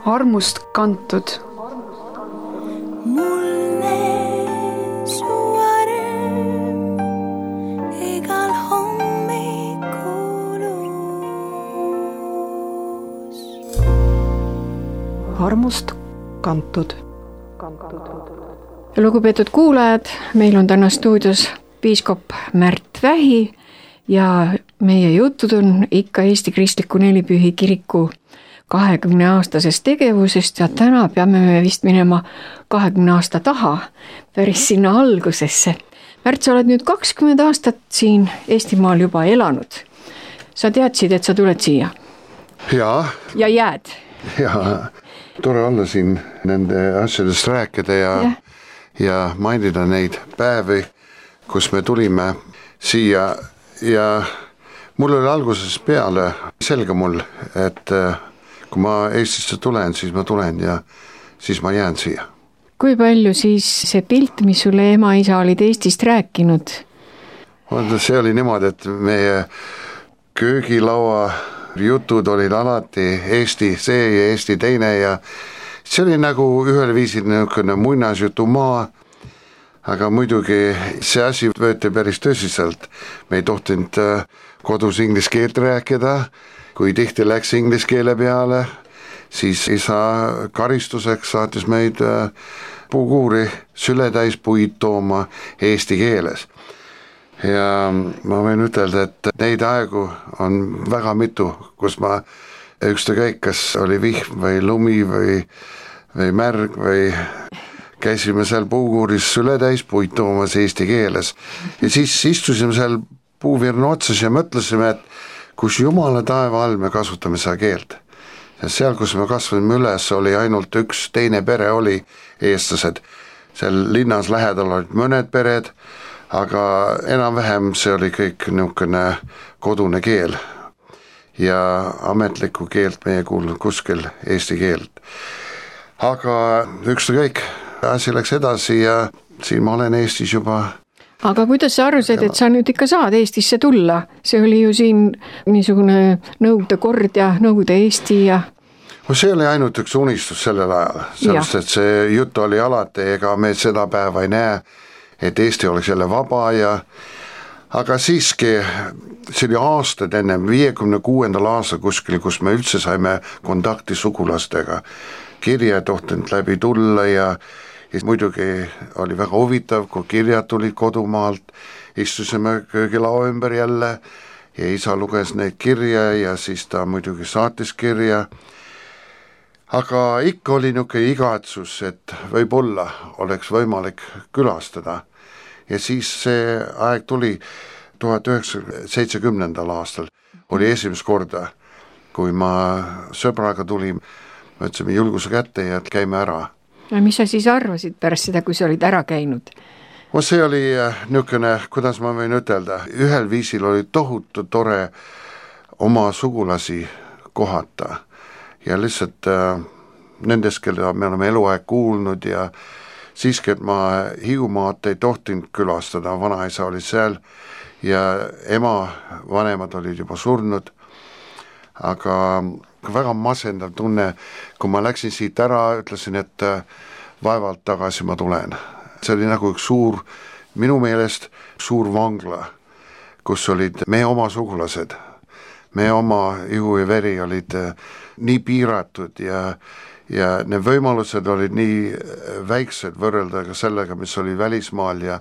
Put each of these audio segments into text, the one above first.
armust kantud. Mulle su arm igal hommikulus. Armust kantud. Lugupeetud kuulajad, meil on täna stuudios piiskop Märt Vähi ja meie jutud on ikka Eesti Kristliku Nelipühi kiriku 20-aastasest tegevusest ja täna peame me vist minema 20 aasta taha, päris sinna algusesse. Märt, sa oled nüüd 20 aastat siin Eestimaal juba elanud. Sa teadsid, et sa tuled siia? Jaa. Ja jääd? Jaa, tore olla siin nende asjadest rääkida ja mainida neid päevi, kus me tulime siia ja mul oli alguses peale selge mul, et kui ma Eestisse tulen, siis ma tulen ja siis ma jään siia. Kui palju siis see pilt, mis sulle ema-isa olid Eestist rääkinud? See oli niimoodi, et meie köögilaua jutud olid alati Eesti see ja Eesti teine ja see oli nagu ühel viisil niisugune muinasjutumaa, aga muidugi see asi võeti päris tõsiselt. Me ei tohtinud kodus inglise keelt rääkida, kui tihti läks inglise keele peale, siis isa karistuseks saatis meid puukuuri sületäis puid tooma eesti keeles. Ja ma võin ütelda, et neid aegu on väga mitu, kus ma ükstakäik, kas oli vihm või lumi või märg või käisime seal puukuuris sületäis puid toomas eesti keeles. Ja siis istusime seal puuvirna otsas ja mõtlesime, et kus Jumala taeva all me kasutame seda keelt. Ja seal, kus me kasvame üles, oli ainult üks teine pere oli eestlased. Seal linnas lähedal olid mõned pered, aga enam-vähem see oli kõik niisugune kodune keel. Ja ametlikku keelt meie kuulnud kuskil eesti keelt. Aga ükstakäik, asi läks edasi ja siin ma olen Eestis juba. Aga kuidas sa aru said, et sa nüüd ikka saad Eestisse tulla? See oli ju siin niisugune Nõukogude kord ja Nõukogude Eesti ja... See oli ainult üks unistus sellel ajal, sellest, et see jutt oli alati, ega me seda päeva ei näe, et Eesti oleks jälle vaba ja... Aga siiski, see oli aastad enne 56. aastal kuskil, kus me üldse saime kontakti sugulastega. Kirja tohtinud läbi tulla ja muidugi oli väga huvitav, kui kirjad tulid kodumaalt, istusime köögilao ümber jälle ja isa luges neid kirja ja siis ta muidugi saatis kirja. Aga ikka oli niisugune igatsus, et võib-olla oleks võimalik külastada. Ja siis see aeg tuli 1970. aastal, oli esimest korda, kui ma sõbraga tulin, võtsime julguse kätte ja käime ära. Ja mis sa siis arvasid pärast seda, kui sa olid ära käinud? See oli niisugune, kuidas ma võin ütelda, ühel viisil oli tohutu tore oma sugulasi kohata ja lihtsalt nendest, kelle me oleme eluaeg kuulnud ja siiski, et ma Hiiumaad ei tohtinud külastada, vanaisa oli seal ja ema vanemad olid juba surnud, aga väga masendav tunne, kui ma läksin siit ära, ütlesin, et vaevalt tagasi ma tulen. See oli nagu üks suur, minu meelest suur vangla, kus olid meie oma sugulased, meie oma ihu ja veri olid nii piiratud ja need võimalused olid nii väiksed võrrelda ka sellega, mis oli välismaal ja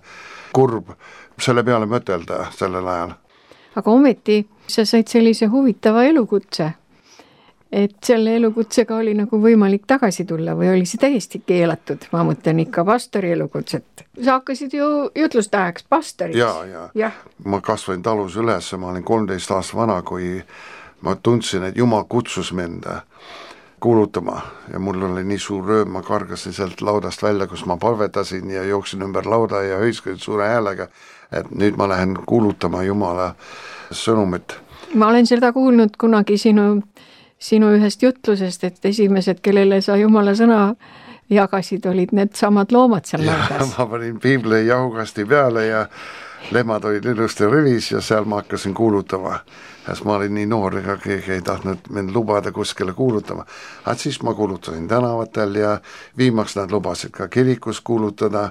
kurb selle peale mõtelda sellel ajal. Aga ometi sa said sellise huvitava elukutse, et selle elukutsega oli nagu võimalik tagasi tulla või oli see täiesti keelatud? Ma mõtlen ikka pastori elukutset. Sa hakkasid ju jutlustajaks pastoriks. Ja. Ma kasvain talus üles, ma olin 13 aastat vana, kui ma tundsin, et Jumal kutsus mind kuulutama ja mul oli nii suur rööm, ma kargasin sealt laudast välja, kus ma palvetasin ja jooksin ümber lauda ja hõiskasin suure häälega, et nüüd ma lähen kuulutama Jumala sõnumit. Ma olen seda kuulnud kunagi sinu ühest jutlusest, et esimesed, kellele sa Jumala sõna jagasid, olid need samad loomad seal laudas. Ma panin piibli jahukasti peale ja lehmad olid ilusti rivis ja seal ma hakkasin kuulutama. sest ma olin nii noor, ega keegi ei tahtnud mind lubada kuskile kuulutama. Aga siis ma kuulutasin tänavatel ja viimaks nad lubasid ka kirikus kuulutada,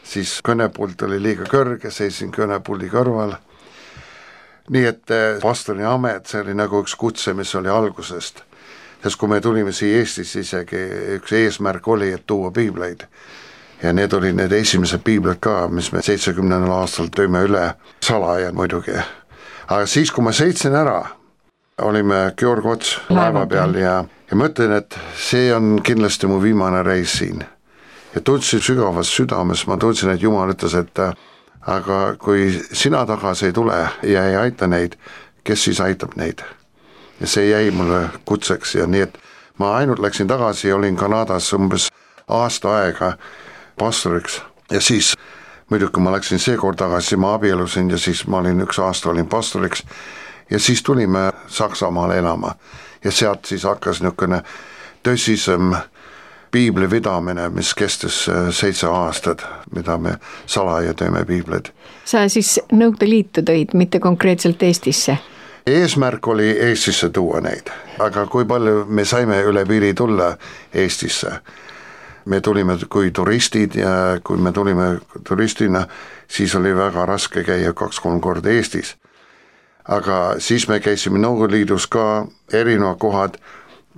siis kõnepult oli liiga kõrge, seisin kõnepuldi kõrval. Nii et pastori amet, see oli nagu üks kutse, mis oli algusest. Sest kui me tulime siia Eestis, isegi üks eesmärk oli, et tuua piibleid. Ja need olid need esimesed piiblid ka, mis me 70. aastal tõime üle salaja muidugi. Aga siis, kui ma sõitsin ära, olime Georg Ots laeva peal ja mõtlen, et see on kindlasti mu viimane reis siin. Ja tundsin sügavas südames, ma tundsin, et Jumal ütles, et aga kui sina tagasi ei tule ja ei aita neid, kes siis aitab neid? Ja see jäi mulle kutseks ja nii, et ma ainult läksin tagasi ja olin Kanadas umbes aasta aega pastoriks ja siis muidugi ma läksin seekord tagasi, ma abielusin ja siis ma olin üks aasta olin pastoriks ja siis tulime Saksamaale elama ja sealt siis hakkas niisugune tõsisem piibli vidamine, mis kestis 7 aastat, mida me salaja teeme piibleid. Sa siis Nõukogude Liitu tõid, mitte konkreetselt Eestisse? Eesmärk oli Eestisse tuua neid, aga kui palju me saime üle piiri tulla Eestisse? Me tulime kui turistid ja kui me tulime turistina, siis oli väga raske käia 2-3 korda Eestis. Aga siis me käisime Nõukogude Liidus ka erinevad kohad,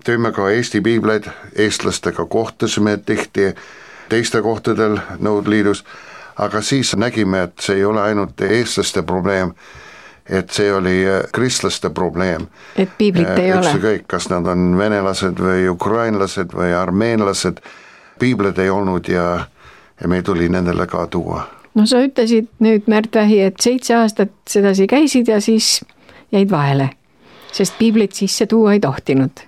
tõime ka Eesti piibleid, eestlastega kohtasime tihti teiste kohtadel Nõukogude Liidus, aga siis nägime, et see ei ole ainult eestlaste probleem, et see oli kristlaste probleem. Et piiblit ei ole. Kõik, kas nad on venelased või ukrainlased või armeenlased, piibleid ei olnud ja me tuli nendele ka tuua. No sa ütlesid nüüd, Märt Vähi, et 7 aastat sedasi käisid ja siis jäid vahele, sest piiblit sisse tuua ei tohtinud.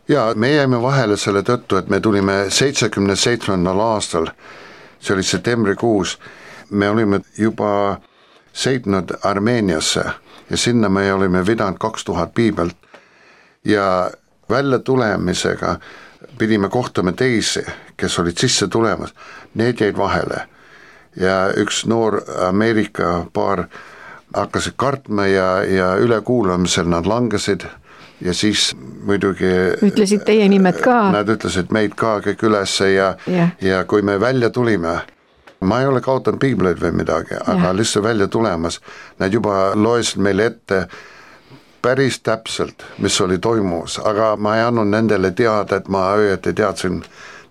Ja me jäime vahele selle tõttu, et me tulime 77. aastal, see oli septembrikuus, me olime juba sõitnud Armeeniasse ja sinna me olime vidanud 2000 piibelt ja välja tulemisega pidime kohtama teisi, kes olid sisse tulemas, need jäid vahele ja üks noor Ameerika paar hakkasid kartma ja ülekuulamisel nad langesid ja siis muidugi ütlesid teie nimed ka. Nad ütlesid meid ka kõik ülesse ja kui me välja tulime, ma ei ole kaotanud piibleid või midagi, aga lihtsalt välja tulemas, nad juba loesid meile ette päris täpselt, mis oli toimus, aga ma ei andnud nendele teada, et ma õieti teadsin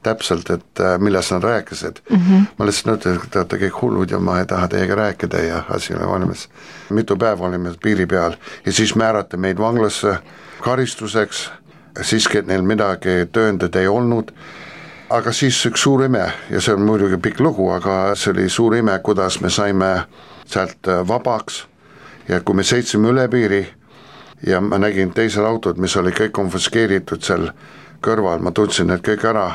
täpselt, et millest nad rääkisid. Ma lihtsalt ütlesin, et te olete kõik hullud ja ma ei taha teiega rääkida ja asi oli valmis. Mitu päeva olime piiri peal ja siis määrati meid vanglasse karistuseks, siiski neil midagi tõendid ei olnud, aga siis üks suur ime ja see on muidugi pikk lugu, aga see oli suur ime, kuidas me saime sealt vabaks ja kui me sõitsime üle piiri ja ma nägin teisel autod, mis oli kõik konfiskeeritud seal kõrval, ma tundsin need kõik ära.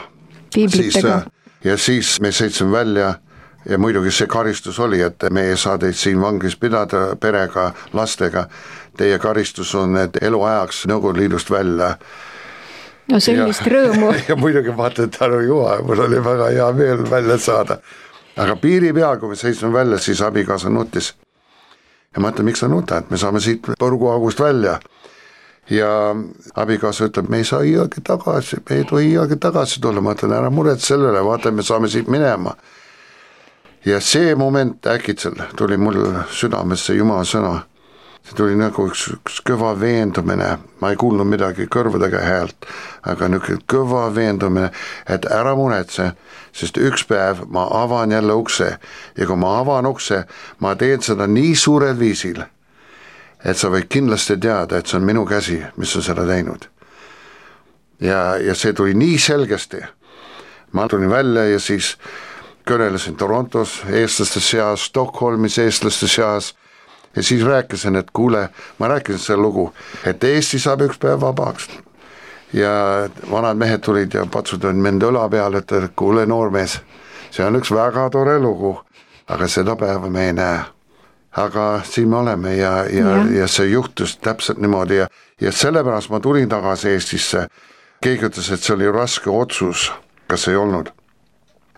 Ja siis me sõitsime välja ja muidugi see karistus oli, et me ei saa teid siin vangis pidada perega, lastega, teie karistus on, et eluajaks Nõukogude Liidust välja. No sellist rõõmu. Ja muidugi vaata, et tänu Juha, mul oli väga hea meel välja saada. Aga piiri peal, kui me sõitsime välja, siis abikaasa nutis. Ja ma ütlen, miks sa nutad, me saame siit põrguaugust välja. Ja abikaasa ütleb, me ei saa iiagi tagasi, me ei tohi iiagi tagasi tulla, ma ütlen, ära muret sellele, vaata, me saame siit minema. Ja see moment äkitsel tuli mul südamesse Jumala sõna. See tuli nagu üks kõva veendumine, ma ei kuulnud midagi kõrvadega häält, aga niisugune kõva veendumine, et ära muretse, sest üks päev ma avan jälle ukse ja kui ma avan ukse, ma teen seda nii suurel viisil, et sa võid kindlasti teada, et see on minu käsi, mis on seda teinud. Ja see tuli nii selgesti. Ma tulin välja ja siis kõnelesin Torontos eestlaste seas, Stockholmis eestlaste seas ja siis rääkisin, et kuule, ma rääkisin selle lugu, et Eesti saab üks päev vabaks. Ja vanad mehed tulid ja patsutasid mind õla peale, et kuule noormees, see on üks väga tore lugu, aga seda päeva me ei näe. Aga siin me oleme ja see juhtus täpselt niimoodi ja sellepärast ma tulin tagasi Eestisse. Keegi ütles, et see oli raske otsus, kas ei olnud.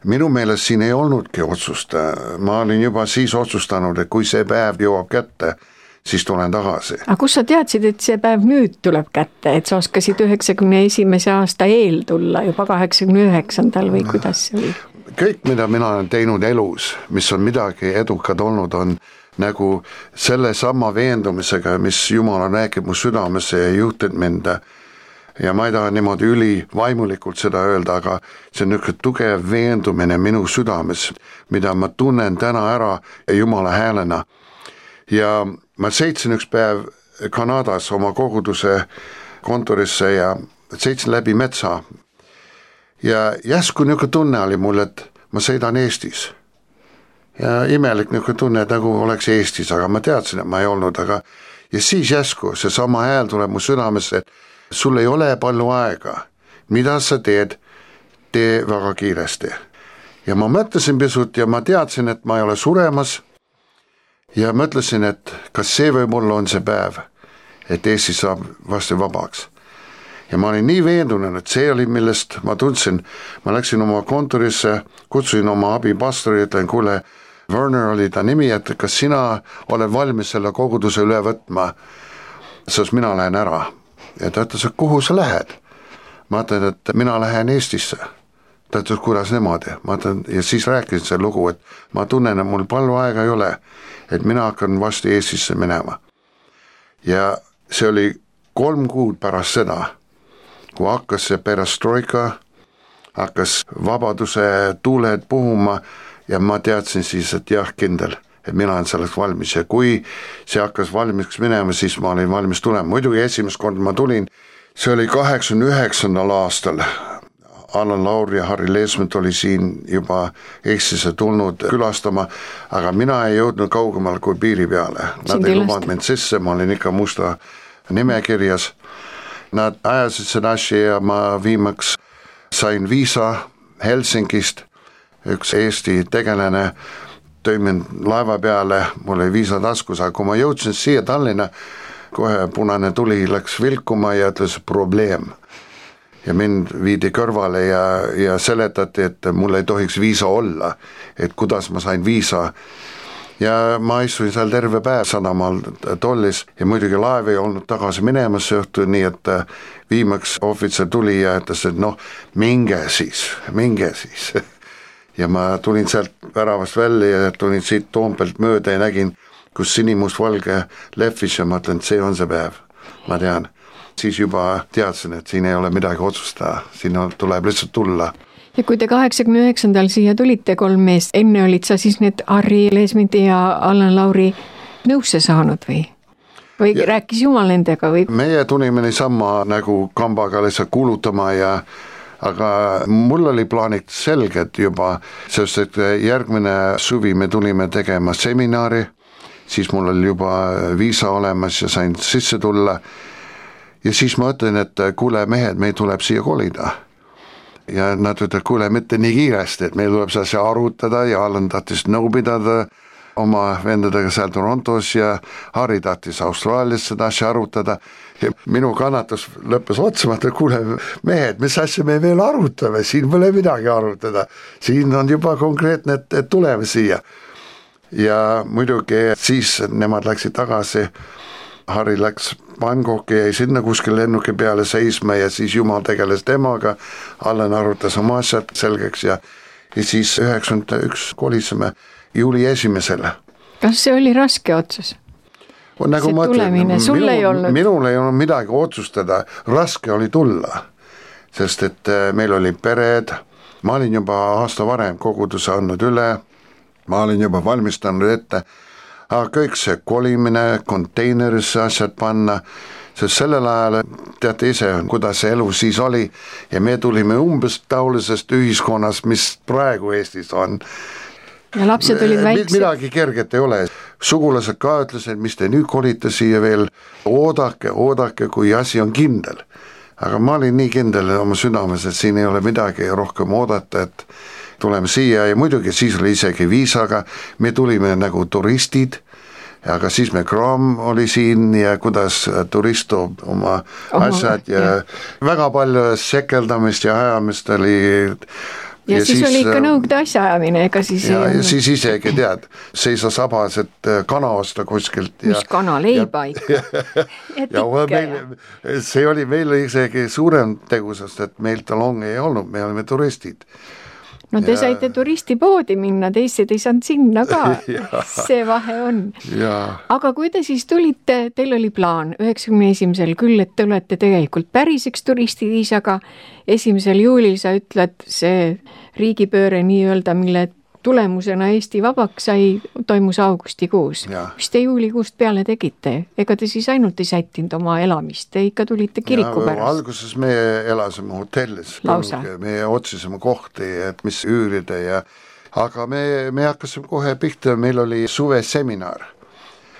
Minu meelest siin ei olnudki otsust, ma olin juba siis otsustanud, et kui see päev jõuab kätte, siis tulen tagasi. Aga kus sa teadsid, et see päev nüüd tuleb kätte, et sa oskasid 91. aasta eel tulla juba 89. või kuidas see oli? Kõik, mida mina olen teinud elus, mis on midagi edukad olnud, on nagu selle sama veendumisega, mis Jumal on rääkinud mu südamesse ja juhtinud mind. Ja ma ei taha niimoodi ülivaimulikult seda öelda, aga see on niisugune tugev veendumine minu südames, mida ma tunnen täna ära Jumala häälena. Ja ma sõitsin üks päev Kanadas oma koguduse kontorisse ja sõitsin läbi metsa. Ja järsku niisugune tunne oli mul, et ma sõidan Eestis. Ja imelik niisugune tunne, et nagu oleks Eestis, aga ma teadsin, et ma ei olnud. Ja siis järsku see sama hääl tuleb mu südamesse, et sul ei ole palju aega. Mida sa teed? Tee väga kiiresti. Ja ma mõtlesin pisut ja ma teadsin, et ma ei ole suremas. Ja mõtlesin, et kas see võib-olla on see päev, et Eesti saab vasti vabaks. Ja ma olin nii veendunud, et see oli, millest ma tundsin. Ma läksin oma kontorisse, kutsusin oma abipastori, ütlen, kuule, Werner oli ta nimi, et kas sina oled valmis selle koguduse üle võtma, sest mina lähen ära. Ja ta ütles, et kuhu sa lähed? Ma ütlen, et mina lähen Eestisse. Ta ütles, kuidas niimoodi? Ma ütlen, ja siis rääkisin see lugu, et ma tunnen, et mul palju aega ei ole, et mina hakkan vasti Eestisse minema. Ja see oli 3 kuud pärast seda, kui hakkas see perestroika, hakkas vabaduse tuuled puhuma ja ma teadsin siis, et jah, kindel, et mina olen selleks valmis ja kui see hakkas valmis minema, siis ma olin valmis tulema. Muidugi esimest korda ma tulin, see oli 89. aastal. Allan Lauri ja Harri Leesmet oli siin juba Eestisse tulnud külastama, aga mina ei jõudnud kaugemal kui piiri peale. Nad ei lubanud mind sisse, ma olin ikka musta nimekirjas. Nad ajasid seda asja ja ma viimaks sain viisa Helsingist. Üks Eesti tegelane tõi mind laeva peale, mul oli viisa taskus, aga kui ma jõudsin siia Tallinna, kohe punane tuli läks vilkuma ja ütles probleem. Ja mind viidi kõrvale ja seletati, et mul ei tohiks viisa olla, et kuidas ma sain viisa. Ja ma istuin seal terve päev sadamaal tollis ja muidugi laev ei olnud tagasi minemas õhtu, nii et viimaks ohvitser tuli ja ütles, et noh, minge siis. Ja ma tulin sealt väravast välja ja tulin siit Toompelt mööda ja nägin, kus sinimustvalge lehvis ja ma ütlen, et see on see päev, ma tean. Siis juba teadsin, et siin ei ole midagi otsustada, siin tuleb lihtsalt tulla. Ja kui te 89. siia tulite 3 meest, enne olid sa siis need Harri Leesmeti ja Allan Lauri nõusse saanud või? Või rääkis Jumal nendega? Või? Meie tulime niisama nagu kambaga lihtsalt kuulutama aga mul oli plaanid selged juba, sest et järgmine suvi me tulime tegema seminari, siis mul oli juba viisa olemas ja sain sisse tulla. Ja siis ma ütlen, et kuule mehed, meil tuleb siia kolida. Ja nad ütlevad, kuule mitte nii kiiresti, et meil tuleb see arutada ja Allan tahtis nõu pidada oma vendadega seal Torontos ja Harri tahtis Austraalias seda asja arutada. Ja minu kannatus lõppes otsamata, kuule mehed, mis asja me veel arutame, siin pole midagi arutada. Siin on juba konkreetne, et tuleme siia. Ja muidugi siis nemad läksid tagasi, Harri läks Bangkoki ja sinna kuskil lennuki peale seisma ja siis Jumal tegeles temaga, Allan arutas oma asjad selgeks ja siis 91 kolisime juuli 1. Kas see oli raske otsus? Nagu see tulemine, sul ei olnud? Minul ei olnud midagi otsustada, raske oli tulla, sest et meil oli pered, ma olin juba aasta varem koguduse andnud üle, ma olin juba valmistanud ette, aga kõik see kolimine, konteinerisse asjad panna, sest sellel ajal teate ise, kuidas see elu siis oli ja me tulime umbes taolisest ühiskonnast, mis praegu Eestis on. Ja lapsed olid väiksed. Midagi kerget ei ole. Sugulased ka ütlesid, mis te nüüd kolite siia veel, oodake, kui asi on kindel. Aga ma olin nii kindel oma südames, et siin ei ole midagi rohkem oodata, et tuleme siia ja muidugi siis oli isegi viisaga, me tulime nagu turistid, aga siis me Kraam oli siin ja kuidas turist toob oma asjad ja väga palju sekeldamist ja ajamist oli ja siis oli ikka nõukogude asjaajamine, ega siis ja siis isegi tead, seisa sabas, et kana osta kuskilt. Mis kana, leiba ikka. See oli meil isegi suurem tegusest, et meil talongi ei olnud, me olime turistid. No te saite turistipoodi minna, teised ei saanud sinna ka, see vahe on. Aga kui te siis tulite, teil oli plaan 91. küll, et te olete tegelikult päriseks turistid, aga 1. juulil sa ütled see riigipööre nii-öelda, mille tulemusena Eesti vabaks sai, toimus augustikuus. Mis te juulikuust peale tegite? Ega te siis ainult ei sättinud oma elamist, te ikka tulite kiriku pärast? Alguses me elasime hotellis, me otsisime kohti, et mis üürida aga me hakkasime kohe pihta, meil oli suveseminar.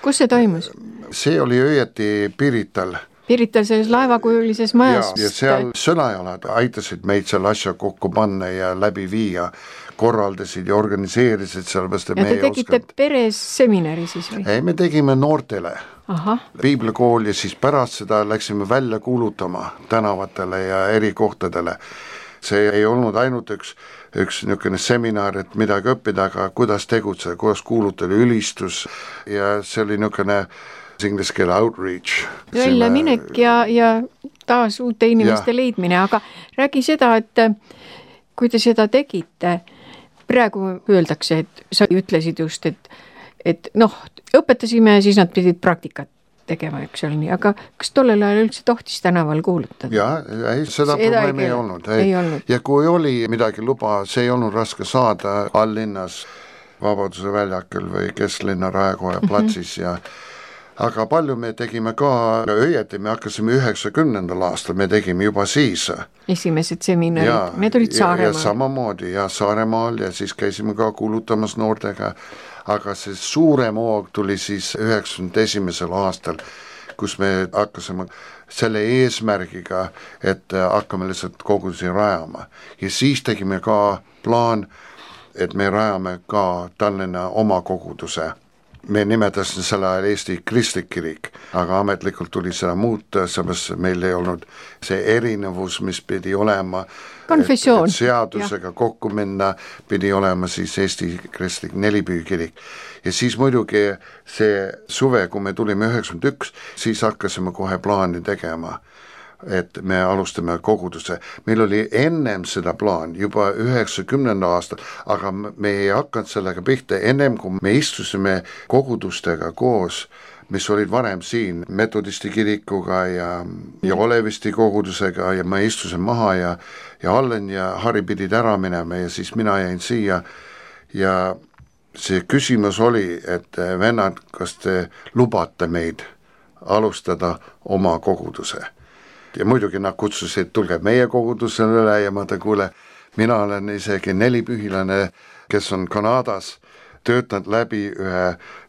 Kus see toimus? See oli õieti Pirital. Pirital selles laevakujulises majas. Ja seal sõnajalad aitasid meid selle asja kokku panna ja läbi viia, korraldasid ja organiseerisid sellepärast, et ja te tegite peres seminari siis või? Ei, me tegime noortele piiblikool ja siis pärast seda läksime välja kuulutama tänavatele ja eri kohtadele. See ei olnud ainult üks niisugune seminar, et midagi õppida, aga kuidas tegutseda, kuidas kuulutada ülistus ja see oli niisugune inglise keele outreach. Välja minek ja taas uute inimeste leidmine, aga räägi seda, et kui te seda tegite, praegu öeldakse, et sa ütlesid just, et õpetasime ja siis nad pidid praktikat tegema, eks ole nii, aga kas tollel ajal üldse tohtis tänaval kuulutada? Ei, seda probleemi ei olnud. Ja kui oli midagi luba, see ei olnud raske saada alllinnas, Vabaduse väljakul või Kesklinna Raekoja platsis aga palju me tegime ka, õieti me hakkasime 90. aastal, me tegime juba siis. Esimesed seminarid, need olid Saaremaal. Ja samamoodi, Saaremaal ja siis käisime ka kuulutamas noortega, aga see suurem hoog tuli siis 91. aastal, kus me hakkasime selle eesmärgiga, et hakkame lihtsalt kogudusi rajama. Ja siis tegime ka plaan, et me rajame ka Tallinna oma koguduse. Me nimetasin selle ajal Eesti kristlik kirik, aga ametlikult tuli seda muuta, sellepärast meil ei olnud see erinevus, mis pidi olema konfessioon. Seadusega kokku minna, pidi olema siis Eesti kristlik nelipühi kirik. Ja siis muidugi see suve, kui me tulime 91, siis hakkasime kohe plaani tegema, et me alustame koguduse. Meil oli ennem seda plaan juba 90. aastal, aga me ei hakanud sellega pihta ennem, kui me istusime kogudustega koos, mis olid varem siin metodisti kirikuga ja Olevisti kogudusega ja ma istusin maha ja Allen ja Harri pidid ära minema ja siis mina jäin siia ja see küsimus oli, et vennad, kas te lubate meid alustada oma koguduse? Ja muidugi nad kutsusid, tulge meie kogudusele üle ja ma kuule, mina olen isegi nelipühilane, kes on Kanadas, töötanud läbi ühe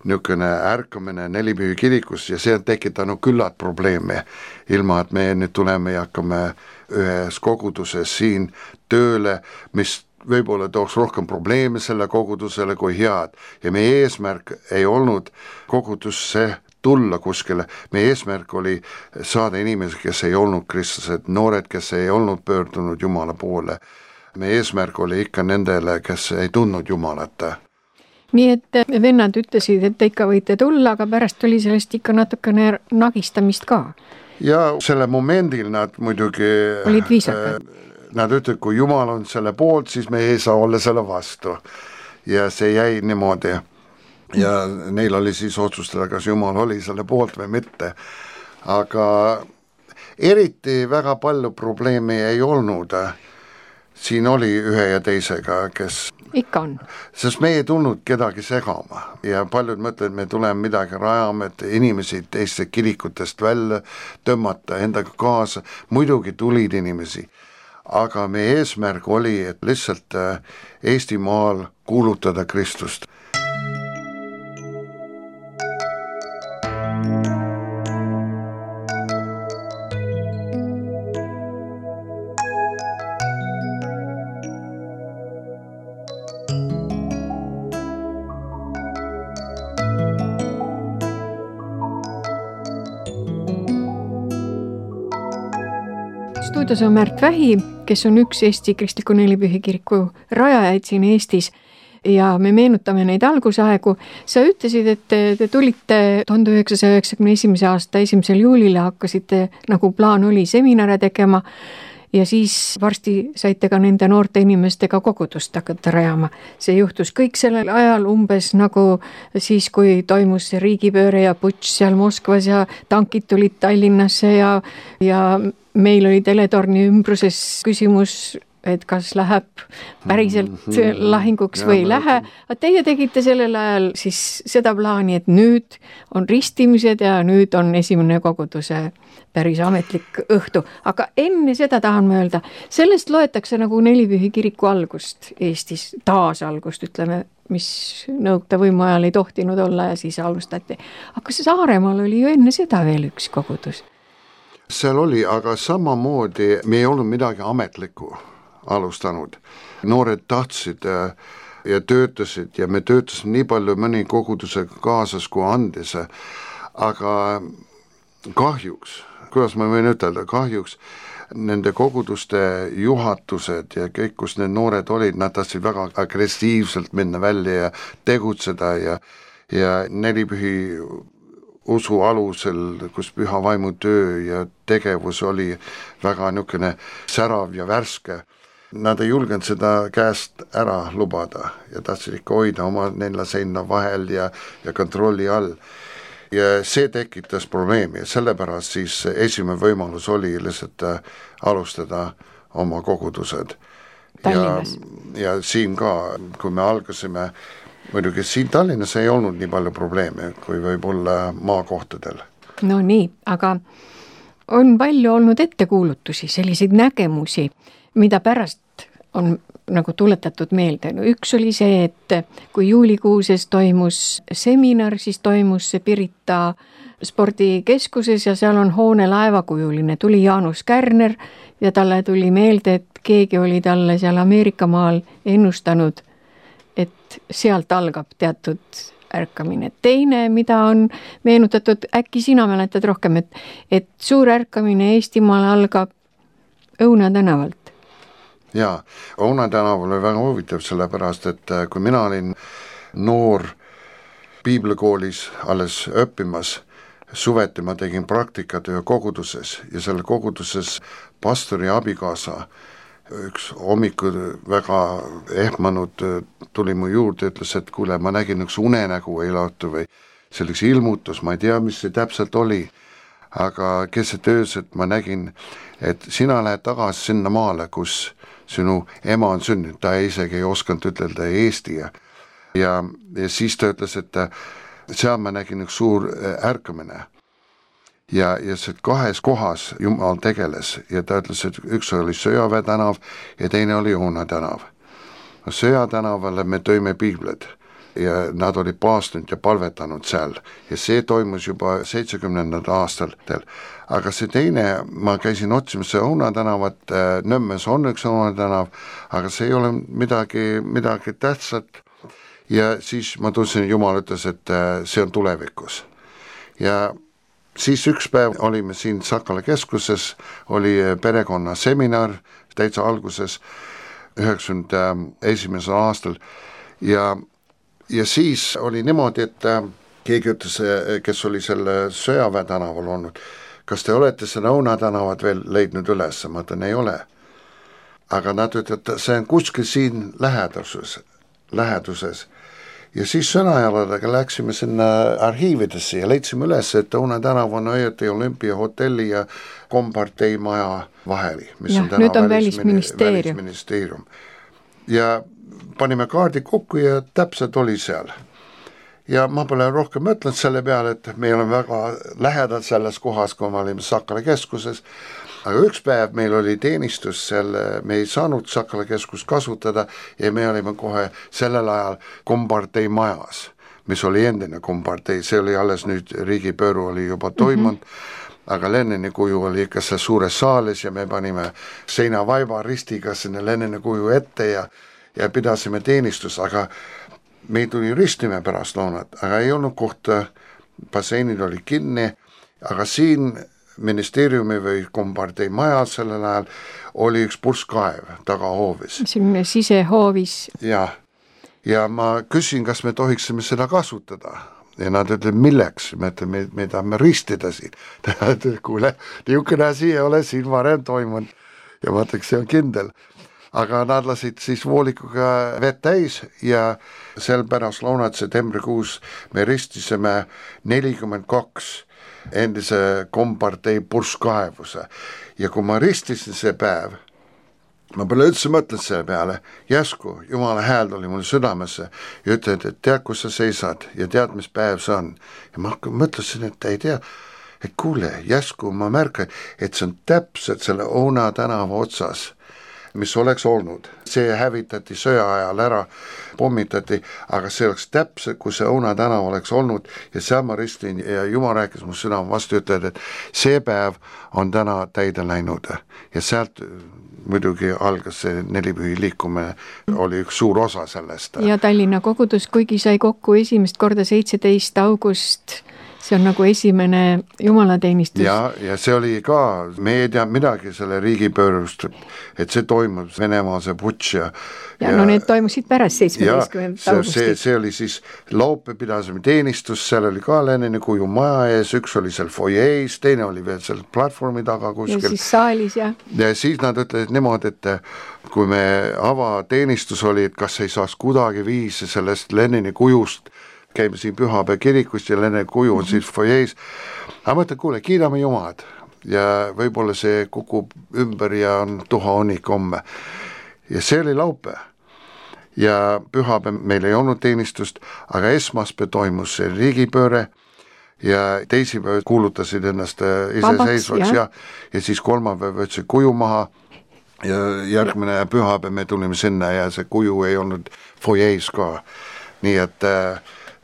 niisugune ärkamine nelipühi kirikus ja see on tekitanud küllalt probleeme, ilma et me nüüd tuleme ja hakkame ühes koguduses siin tööle, mis võib-olla tooks rohkem probleeme selle kogudusele kui head ja meie eesmärk ei olnud kogudusse tulla kuskile. Meie eesmärk oli saada inimesi, kes ei olnud kristlased, noored, kes ei olnud pöördunud Jumala poole. Meie eesmärk oli ikka nendele, kes ei tundnud Jumalat. Nii et vennad ütlesid, et te ikka võite tulla, aga pärast oli sellest ikka natukene nagistamist ka. Ja selle momendil nad muidugi olid viisakad. Nad ütlesid, kui Jumal on selle poolt, siis me ei saa olla selle vastu. Ja see jäi niimoodi. Ja neil oli siis otsustada, kas Jumal oli selle poolt või mitte. Aga eriti väga palju probleemi ei olnud. Siin oli ühe ja teisega, kes ikka on. Sest me ei tulnud kedagi segama ja paljud mõtlevad, me tuleme midagi rajama, et inimesi teiste kirikutest välja tõmmata endaga kaasa. Muidugi tulid inimesi, aga meie eesmärk oli, et lihtsalt Eestimaal kuulutada Kristust. Stuudios on Märt Vähi kes on üks Eesti Kristliku Nelipühi Kiriku rajajaid siin Eestis ja me meenutame neid algusaegu. Sa ütlesid, et te tulite 1991. aasta 1. juulile, hakkasite, nagu plaan oli, seminare tegema ja siis varsti saite ka nende noorte inimestega kogudust hakata rajama. See juhtus kõik sellel ajal umbes nagu siis, kui toimus see riigipööre ja putš seal Moskvas ja tankid tulid Tallinnasse ja meil oli teletorni ümbruses küsimus, et kas läheb päriselt lahinguks või ei lähe. Teie tegite sellel ajal siis seda plaani, et nüüd on ristimised ja nüüd on esimene koguduse päris ametlik õhtu. Aga enne seda tahan ma öelda, sellest loetakse nagu Nelipühi kiriku algust Eestis, taasalgust, ütleme, mis Nõukogude võimu ajal ei tohtinud olla ja siis alustati. Aga Saaremaal oli ju enne seda veel üks kogudus. Seal oli, aga samamoodi me ei olnud midagi ametlikku alustanud. Noored tahtsid ja töötasid ja me töötasime nii palju mõni kogudusega kaasas kui andis, aga kahjuks, kuidas ma võin ütelda, kahjuks nende koguduste juhatused ja kõik, kus need noored olid, nad tahtsid väga agressiivselt minna välja ja tegutseda ja Nelipühi usu alusel, kus püha vaimu töö ja tegevus oli väga niisugune särav ja värske. Nad ei julgenud seda käest ära lubada ja tahtsid ikka hoida oma nelja seina vahel ja kontrolli all. Ja see tekitas probleemi ja sellepärast siis esimene võimalus oli lihtsalt alustada oma kogudused. Ja siin ka, kui me algasime, muidugi siin Tallinnas ei olnud nii palju probleeme, kui võib-olla maakohtadel. No nii, aga on palju olnud ettekuulutusi, selliseid nägemusi, mida pärast on nagu tuletatud meelde. No üks oli see, et kui juulikuuses toimus seminar, siis toimus see Pirita spordikeskuses ja seal on hoone laevakujuline. Tuli Jaanus Kärner ja talle tuli meelde, et keegi oli talle seal Ameerika maal ennustanud, et sealt algab teatud ärkamine. Teine, mida on meenutatud, äkki sina mäletad rohkem, et suur ärkamine Eestimaal algab Õuna tänavalt. Jaa, Õuna tänav oli väga huvitav sellepärast, et kui mina olin noor piiblikoolis alles õppimas, suveti ma tegin praktikat ühe koguduses ja selle koguduses pastori abikaasa üks hommikud väga ehmanud tuli mu juurde, ütles, et kuule, ma nägin üks unenägu eilautu või selleks ilmutus, ma ei tea, mis see täpselt oli, aga keset ööset ma nägin, et sina lähed tagasi sinna maale, kus sinu ema on sündinud, ta isegi ei osanud ütelda Eesti ja siis ta ütles, et seal ma nägin üks suur ärkamine ja see kahes kohas Jumal tegeles ja ta ütles, et üks oli Sõjaväe tänav ja teine oli Õuna tänav. Sõja tänavale me tõime piibled ja nad olid paastunud ja palvetanud seal ja see toimus juba 70. aastatel. Aga see teine, ma käisin otsimas see Õuna tänavat, Nõmmes on üks Õuna tänav, aga see ei ole midagi tähtsat ja siis ma tundsin, Jumal ütles, et see on tulevikus. Ja siis üks päev olime siin Sakala keskuses, oli perekonna seminar täitsa alguses 91. aastal ja siis oli niimoodi, et keegi ütles, kes oli selle Sõjaväe tänaval olnud, kas te olete selle Õuna tänavat veel leidnud üles? Ma ütlen, ei ole. Aga nad ütlevad, see on kuskil siin läheduses. Ja siis sõnajaladega läksime sinna arhiividesse ja leidsime üles, et Õuna tänav on õieti Olümpiahotelli ja Kompartei maja vahel, mis ja, on täna nüüd on välisministeerium. Ja panime kaardi kokku ja täpselt oli seal. Ja ma pole rohkem mõtlenud selle peale, et me oleme väga lähedalt selles kohas, kui me olime Sakala keskuses. Aga üks päev meil oli teenistus seal, me ei saanud Sakala keskust kasutada ja me olime kohe sellel ajal Kompartei majas, mis oli endine Kompartei, see oli alles nüüd riigipööru oli juba toimunud, aga Lenini kuju oli ikka seal suures saalis ja me panime seinavaiba ristiga sinna Lenini kuju ette ja pidasime teenistus, aga me tuli ristime pärast loonat, aga ei olnud kohta, basseinid oli kinni, aga siin ministeeriumi või kompartei maja sellel ajal oli üks purskkaev tagahoovis. Selline sisehoovis. Ja ma küsin, kas me tohiksime seda kasutada. Ja nad ütlevad, milleks? Me tahame ristida siin. Kuule, niisugune asi ei ole siin varem toimunud. Ja ma ütleks, see on kindel. Aga nad lasid siis voolikuga vett täis ja sel pärast lõunat septembrikuus me ristisime 42 endise kompartei purskkaevuse. Ja kui ma ristisin see päev, ma pole üldse mõtlenud selle peale, jäsku Jumala hääl oli mul südamesse ja ütled, et tead, kus sa seisad ja tead, mis päev see on. Ja ma mõtlesin, et ei tea, et kuule, jäsku ma märkan, et see on täpselt selle Oona tänava otsas, mis oleks olnud. See hävitati sõja ajal ära, pommitati, aga see oleks täpselt, kui see Oona tänav oleks olnud ja seal ma ristin ja Jumal rääkis mu südame vastu, ütled, et see päev on täna täide läinud ja sealt muidugi algas see nelipühi liikumine, oli üks suur osa sellest. Ja Tallinna kogudus, kuigi sai kokku esimest korda 17. august, see on nagu esimene jumalateenistus. Ja see oli ka, me ei tea midagi selle riigipöörust, et see toimub Venemaal see putš ja no need toimusid pärast 17. augustit. See oli siis laupäev pidasime teenistus, seal oli ka Lenini kuju maja ees, üks oli seal foyees, teine oli veel seal platvormi taga kuskil. Ja siis saalis ja siis nad ütlesid niimoodi, et kui me avateenistus oli, et kas ei saaks kuidagi viisi sellest Lenini kujust, käime siin Pühapäeva kirikust ja Lenini kuju on siis foyees. Aga ma ütlen, kuule, kiidame Jumalad ja võib-olla see kukub ümber ja on tuha honik homme. Ja see oli laupäev. Ja pühapäev meil ei olnud teenistust, aga esmaspäev toimus see riigipööre ja teisipäev kuulutasid ennast iseseisvaks ja siis kolmapäev võtsid kuju maha ja järgmine pühapäev me tulime sinna ja see kuju ei olnud foyees ka. Nii et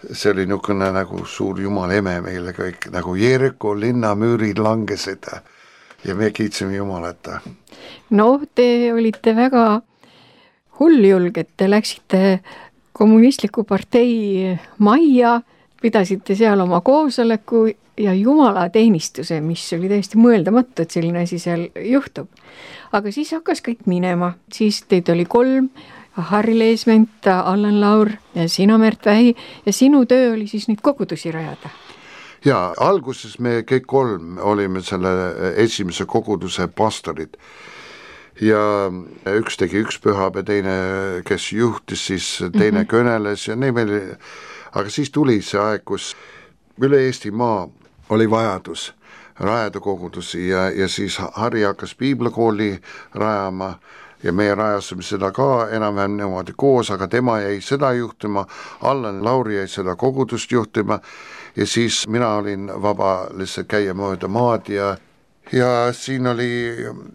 see oli niisugune nagu suur Jumala eme meile kõik, nagu Jeeriko linnamüürid langesid ja me kiitsime Jumalat. No, te olite väga hulljulged, te läksite kommunistliku partei majja, pidasite seal oma koosoleku ja jumalateenistuse, mis oli täiesti mõeldamatu, et selline asi seal juhtub. Aga siis hakkas kõik minema, siis teid oli 3, Harri Leesment, Allan Laur ja sina Märt Vähi ja sinu töö oli siis neid kogudusi rajada. Ja alguses me kõik 3 olime selle esimese koguduse pastorid ja üks tegi üks pühapäev, teine, kes juhtis, siis teine kõneles ja meil, aga siis tuli see aeg, kus üle Eestimaa oli vajadus rajada kogudusi ja siis Harri hakkas piiblakooli rajama ja meie rajasime seda ka enam-vähem niimoodi koos, aga tema jäi seda juhtima, Allan Lauri jäi seda kogudust juhtima ja siis mina olin vaba lihtsalt käia mööda maad ja siin oli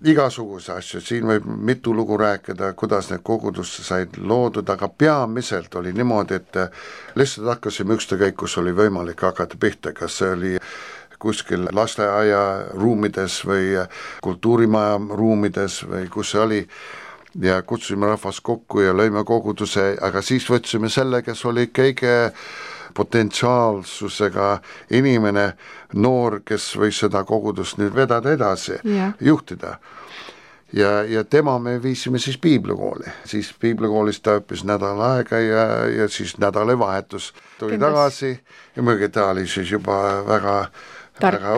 igasuguse asju, siin võib mitu lugu rääkida, kuidas need kogudusse said loodud, aga peamiselt oli niimoodi, et lihtsalt hakkasime ükstakäik, kus oli võimalik hakata pihta, kas see oli kuskil lasteaia ruumides või kultuurimaja ruumides või kus see oli ja kutsusime rahvast kokku ja lõime koguduse, aga siis võtsime selle, kes oli kõige potentsiaalsusega inimene, noor, kes võis seda kogudust nüüd vedada edasi, juhtida. Ja tema me viisime siis piiblakooli. Siis piiblakoolist ta õppis nädal aega ja siis nädalavahetus tuli tagasi ja muidugi ta oli siis juba väga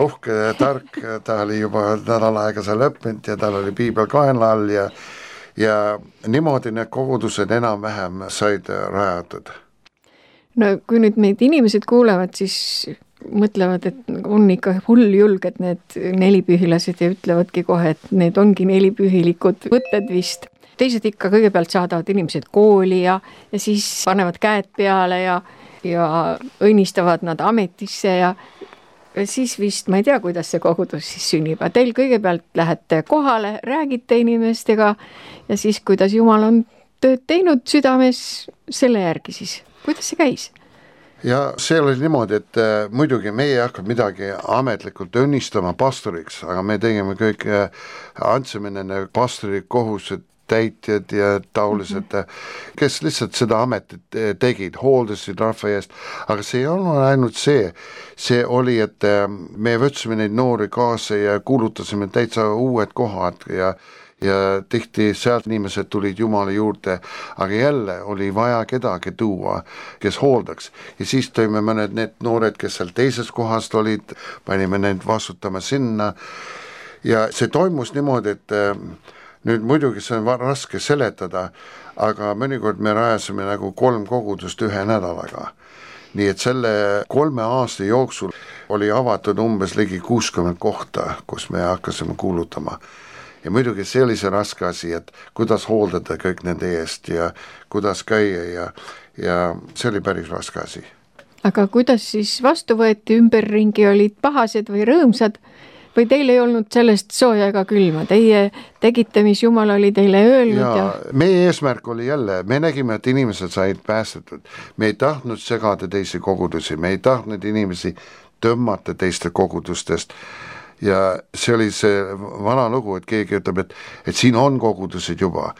uhke ja tark, ta oli juba nädal aega seal õppinud ja tal oli piibel kaenla all ja niimoodi need kogudused enam-vähem said rajatud. No kui nüüd meid inimesed kuulevad, siis mõtlevad, et on ikka hulljulged need nelipühilased ja ütlevadki kohe, et need ongi nelipühilikud võtted vist. Teised ikka kõigepealt saadavad inimesed kooli ja siis panevad käed peale ja õnnistavad nad ametisse ja siis vist, ma ei tea, kuidas see kogudus siis sünnib. Teil kõigepealt lähete kohale, räägite inimestega ja siis, kuidas Jumal on tööd teinud südames, selle järgi siis. Kuidas see käis? Ja see oli niimoodi, et muidugi meie ei hakanud midagi ametlikult õnnistama pastoriks, aga me tegime kõik, andsime nende pastori kohused täitjad ja taolised, kes lihtsalt seda ametit tegid, hooldasid rahva eest, aga see ei olnud ainult see oli, et me võtsime neid noori kaasa ja kuulutasime täitsa uued kohad ja tihti sealt inimesed tulid Jumala juurde, aga jälle oli vaja kedagi tuua, kes hooldaks. Ja siis tõime mõned need noored, kes seal teises kohast olid, panime need vastutama sinna ja see toimus niimoodi, et nüüd muidugi see on raske seletada, aga mõnikord me rajasime nagu 3 kogudust 1 nädalaga. Nii et selle 3 aasta jooksul oli avatud umbes ligi 60 kohta, kus me hakkasime kuulutama. Ja muidugi see oli see raske asi, et kuidas hooldada kõik nende eest ja kuidas käia ja see oli päris raske asi. Aga kuidas siis vastu võeti, ümberringi olid pahased või rõõmsad või teil ei olnud sellest sooja ega külma? Teie tegite, mis Jumal oli teile öelnud ja... Meie eesmärk oli jälle, me nägime, et inimesed said päästetud. Me ei tahtnud segada teisi kogudusi, me ei tahtnud inimesi tõmmata teiste kogudustest. Ja see oli see vana lugu, et keegi ütleb, et siin on kogudused juba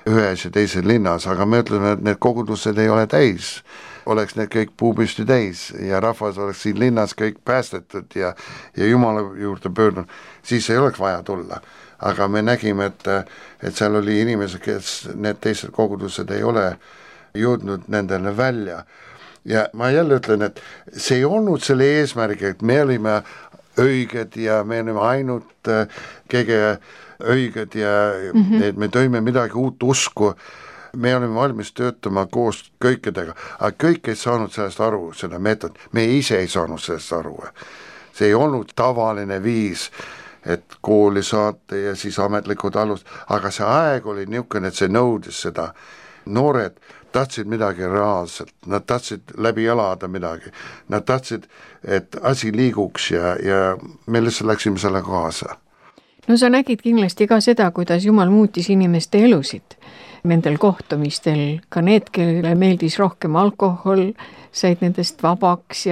ühes ja teises linnas, aga me ütleme, et need kogudused ei ole täis. Oleks need kõik puupüsti täis ja rahvas oleks siin linnas kõik päästetud ja Jumala juurde pöördunud, siis ei oleks vaja tulla. Aga me nägime, et seal oli inimesed, kes need teised kogudused ei ole jõudnud nendele välja. Ja ma jälle ütlen, et see ei olnud selle eesmärgi, et me olime õiged ja me oleme ainult kõige õiged ja et me tõime midagi uut usku. Me oleme valmis töötama koos kõikidega, aga kõik ei saanud sellest aru, seda meetod. Me ise ei saanud sellest aru. See ei olnud tavaline viis, et kooli saata ja siis ametlikud alust, aga see aeg oli niisugune, et see nõudis seda. Noored tahtsid midagi reaalselt, nad tahtsid läbi elada midagi, nad tahtsid, et asi liiguks ja me lihtsalt läksime selle kaasa. No sa nägid kindlasti ka seda, kuidas Jumal muutis inimeste elusid nendel kohtumistel, ka need, kellele meeldis rohkem alkohol, said nendest vabaks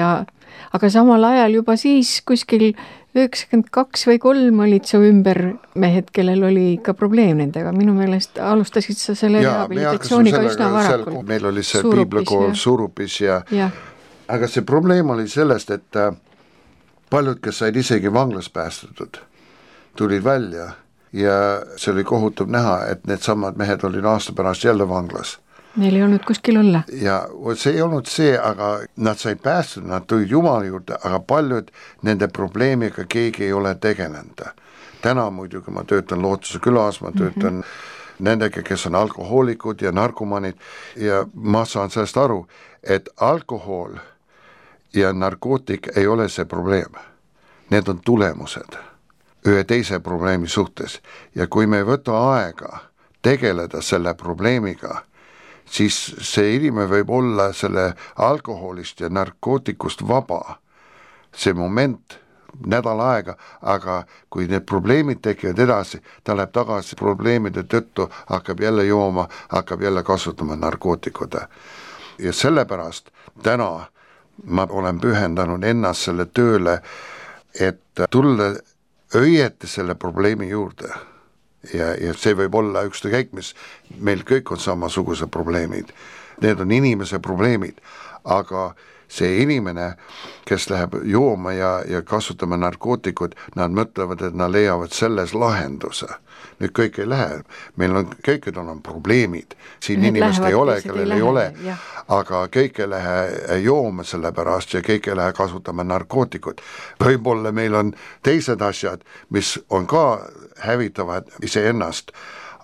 aga samal ajal juba siis kuskil 92 või 3 olid su ümber mehed, kellel oli ka probleem nendega. Minu meelest alustasid sa selle rehabilitatsiooniga üsna varakult. Meil oli see piiblakool Surupis ja aga see probleem oli sellest, et paljud, kes said isegi vanglas päästetud, tulid välja ja see oli kohutav näha, et need samad mehed olid aasta pärast jälle vanglas. Neil ei olnud kuskil olla. Ja see ei olnud see, aga nad said päästud, nad tulid Jumala juurde, aga paljud nende probleemiga keegi ei ole tegelenud. Täna muidugi ma töötan Lootuse külas, ma töötan nendega, kes on alkohoolikud ja narkomanid ja ma saan sellest aru, et alkohol ja narkootik ei ole see probleem. Need on tulemused ühe teise probleemi suhtes ja kui me ei võta aega tegeleda selle probleemiga, siis see inimene võib olla selle alkoholist ja narkootikust vaba. See moment, nädal aega, aga kui need probleemid tekivad edasi, ta läheb tagasi probleemide tõttu, hakkab jälle jooma, hakkab jälle kasutama narkootikud. Ja sellepärast täna ma olen pühendanud ennast selle tööle, et tulla õieti selle probleemi juurde. Ja see võib olla ükskõik, mis meil kõik on samasugused probleemid. Need on inimese probleemid, aga see inimene, kes läheb jooma ja kasutama narkootikud, nad mõtlevad, et nad leiavad selles lahenduse. Nüüd kõik ei lähe, meil on, kõikidel on probleemid, siin need inimest ei ole, kellel ei ole, aga kõik ei lähe jooma selle pärast ja kõik ei lähe kasutama narkootikud. Võib-olla meil on teised asjad, mis on ka hävitavad iseennast,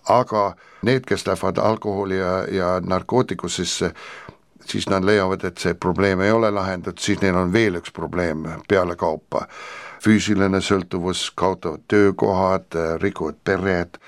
aga need, kes lähevad alkoholi ja narkootikus, siis nad leiavad, et see probleem ei ole lahendatud, siis neil on veel üks probleem peale kaupa. Füüsiline sõltuvus, kaotavad töökohad, rikuvad pered,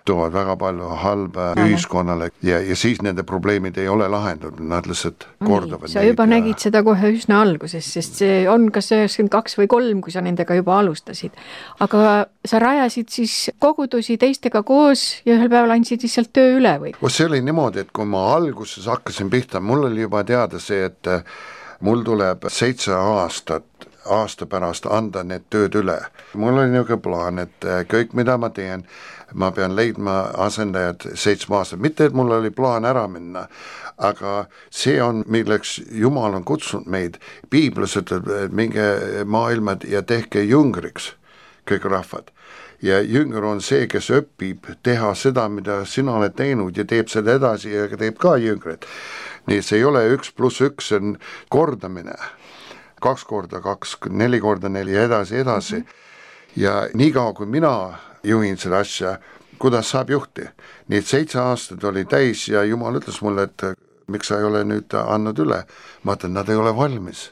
toovad väga palju halba ühiskonnale ja siis nende probleemid ei ole lahendatud, nad lihtsalt kordavad. Sa juba nägid seda kohe üsna alguses, sest see on kas 92 või 3, kui sa nendega juba alustasid. Aga sa rajasid siis kogudusi teistega koos ja ühel päeval andsid lihtsalt töö üle või? See oli niimoodi, et kui ma alguses hakkasin pihta, mul oli juba teada see, et mul tuleb 7 aastat aasta pärast anda need tööd üle. Mul oli niisugune plaan, et kõik mida ma teen, ma pean leidma asendajad 7 aastat, mitte et mul oli plaan ära minna, aga see on, milleks Jumal on kutsunud meid. Piiblis ütleb, et minge maailma ja tehke jüngriks kõik rahvad. Ja jünger on see, kes õpib teha seda, mida sina oled teinud ja teeb seda edasi ja teeb ka jüngrid. Nii see ei ole 1 + 1, see on kordamine. 2 × 2, 4 × 4 ja edasi. Ja nii kaua, kui mina juhin seda asja, kuidas saab juhti. Nii et 7 aastat oli täis ja Jumal ütles mulle, et miks sa ei ole nüüd andnud üle. Ma ütlen, nad ei ole valmis.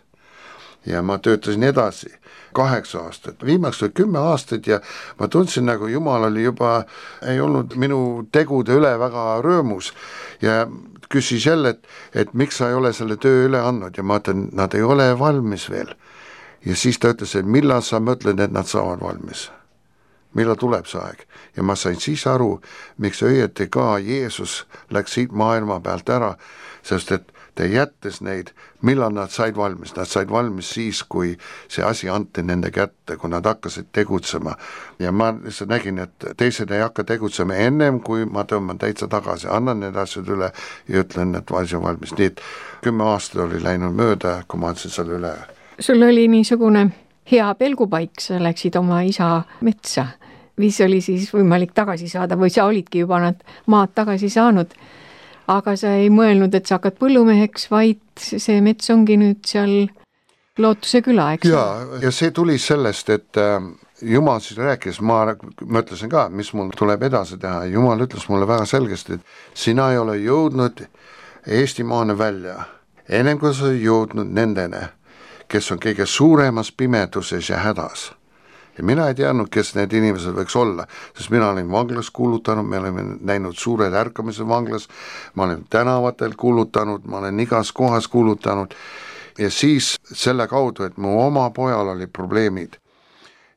Ja ma töötasin edasi 8 aastat, viimaks oli 10 aastat ja ma tundsin, nagu Jumal oli juba, ei olnud minu tegude üle väga rõõmus ja küsis jälle, et miks sa ei ole selle töö üle andnud ja ma ütlen, nad ei ole valmis veel. Ja siis ta ütles, et millal sa mõtled, et nad saavad valmis? Millal tuleb see aeg? Ja ma sain siis aru, miks õieti ka Jeesus läks siit maailma pealt ära, sest et ta jättes neid, millal nad said valmis. Nad said valmis siis, kui see asi anti nende kätte, kui nad hakkasid tegutsema. Ja ma lihtsalt nägin, et teised ei hakka tegutsema ennem, kui ma tõmban täitsa tagasi, annan need asjad üle ja ütlen, et asi on valmis. Nii et 10 aastat oli läinud mööda, kui ma andsin selle üle. Sul oli niisugune hea pelgupaik, sa läksid oma isa metsa, mis oli siis võimalik tagasi saada või sa olidki juba nad maad tagasi saanud. Aga sa ei mõelnud, et sa hakkad põllumeheks, vaid see mets ongi nüüd seal Lootuse küla, eks? Ja see tuli sellest, et Jumal siis rääkis, ma mõtlesin ka, mis mul tuleb edasi teha. Jumal ütles mulle väga selgesti, et sina ei ole jõudnud Eestimaane välja, ennem kui sa jõudnud nendene, kes on kõige suuremas pimeduses ja hädas. Ja mina ei teadnud, kes need inimesed võiks olla, sest mina olin vanglas kuulutanud, me olime näinud suured ärkamised vanglas, ma olen tänavatel kuulutanud, ma olen igas kohas kuulutanud ja siis selle kaudu, et mu oma pojal oli probleemid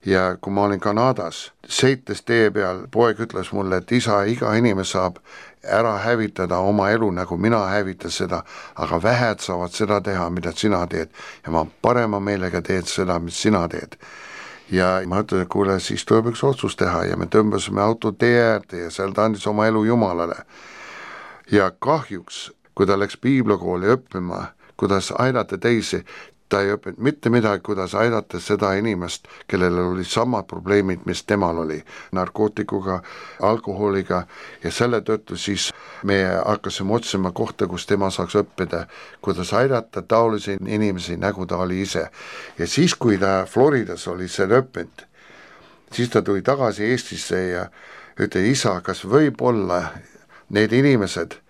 ja kui ma olin Kanadas, sõites tee peal, poeg ütles mulle, et isa, iga inimene saab ära hävitada oma elu, nagu mina hävitan seda, aga vähed saavad seda teha, mida sina teed ja ma parema meelega teed seda, mis sina teed. Ja ma ütlen, et kuule, siis tuleb üks otsus teha ja me tõmbasime auto tee äärde ja seal ta andis oma elu Jumalale. Ja kahjuks, kui ta läks piiblakooli õppima, kuidas aidata teisi, ta ei õppinud mitte midagi, kuidas aidata seda inimest, kellel oli samad probleemid, mis temal oli, narkootikuga, alkoholiga ja selle tõttu siis me hakkasime otsima kohta, kus tema saaks õppida, kuidas aidata taolisi inimesi, nagu ta oli ise. Ja siis, kui ta Floridas oli selle õppinud, siis ta tuli tagasi Eestisse ja ütles, isa, kas võib olla need inimesed,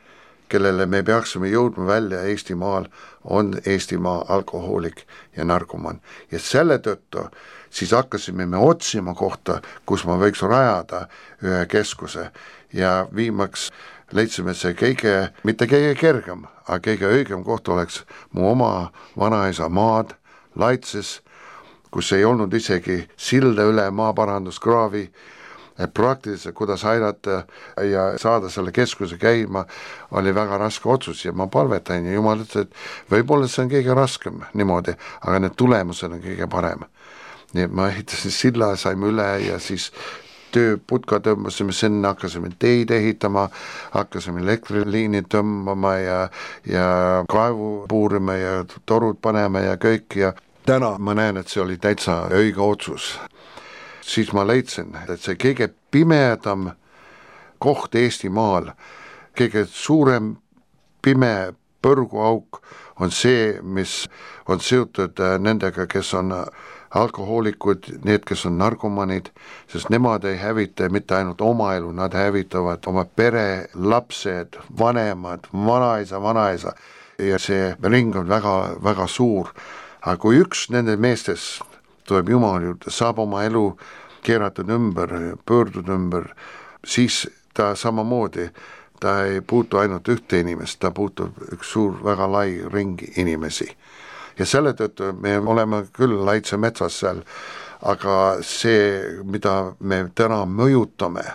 kellele me peaksime jõudma välja Eestimaal, on Eestimaa alkohoolik ja narkoman. Ja selle tõttu siis hakkasime me otsima kohta, kus ma võiks rajada ühe keskuse ja viimaks leidsime see mitte kõige kergem, aga kõige õigem koht oleks mu oma vanaisa maad Laitses, kus ei olnud isegi silda üle maaparanduskraavi, et praktiliselt, kuidas aidata ja saada selle keskuse käima, oli väga raske otsus ja ma palvetan ja Jumal ütles, et võib-olla see on kõige raskem niimoodi, aga need tulemused on kõige parem. Nii et ma ehitasin silla, saime üle ja siis tööputka tõmbasime sinna, hakkasime teid ehitama, hakkasime elektriliini tõmbama ja kaevu puurima ja torud panema ja kõik ja täna ma näen, et see oli täitsa õige otsus. Siis ma leidsin, et see kõige pimedam koht Eestimaal, kõige suurem pime põrguauk on see, mis on seotud nendega, kes on alkohoolikud, need, kes on narkomanid, sest nemad ei hävita mitte ainult oma elu, nad hävitavad oma pere, lapsed, vanemad, vanaisa ja see ring on väga, väga suur. Aga kui üks nende meestes tuleb Jumal juurde, saab oma elu keeratud ümber, pöördud ümber, siis ta samamoodi, ta ei puutu ainult ühte inimest, ta puutub üks suur, väga lai ringi inimesi. Ja selle tõttu me oleme küll Laitse metsas seal, aga see, mida me täna mõjutame,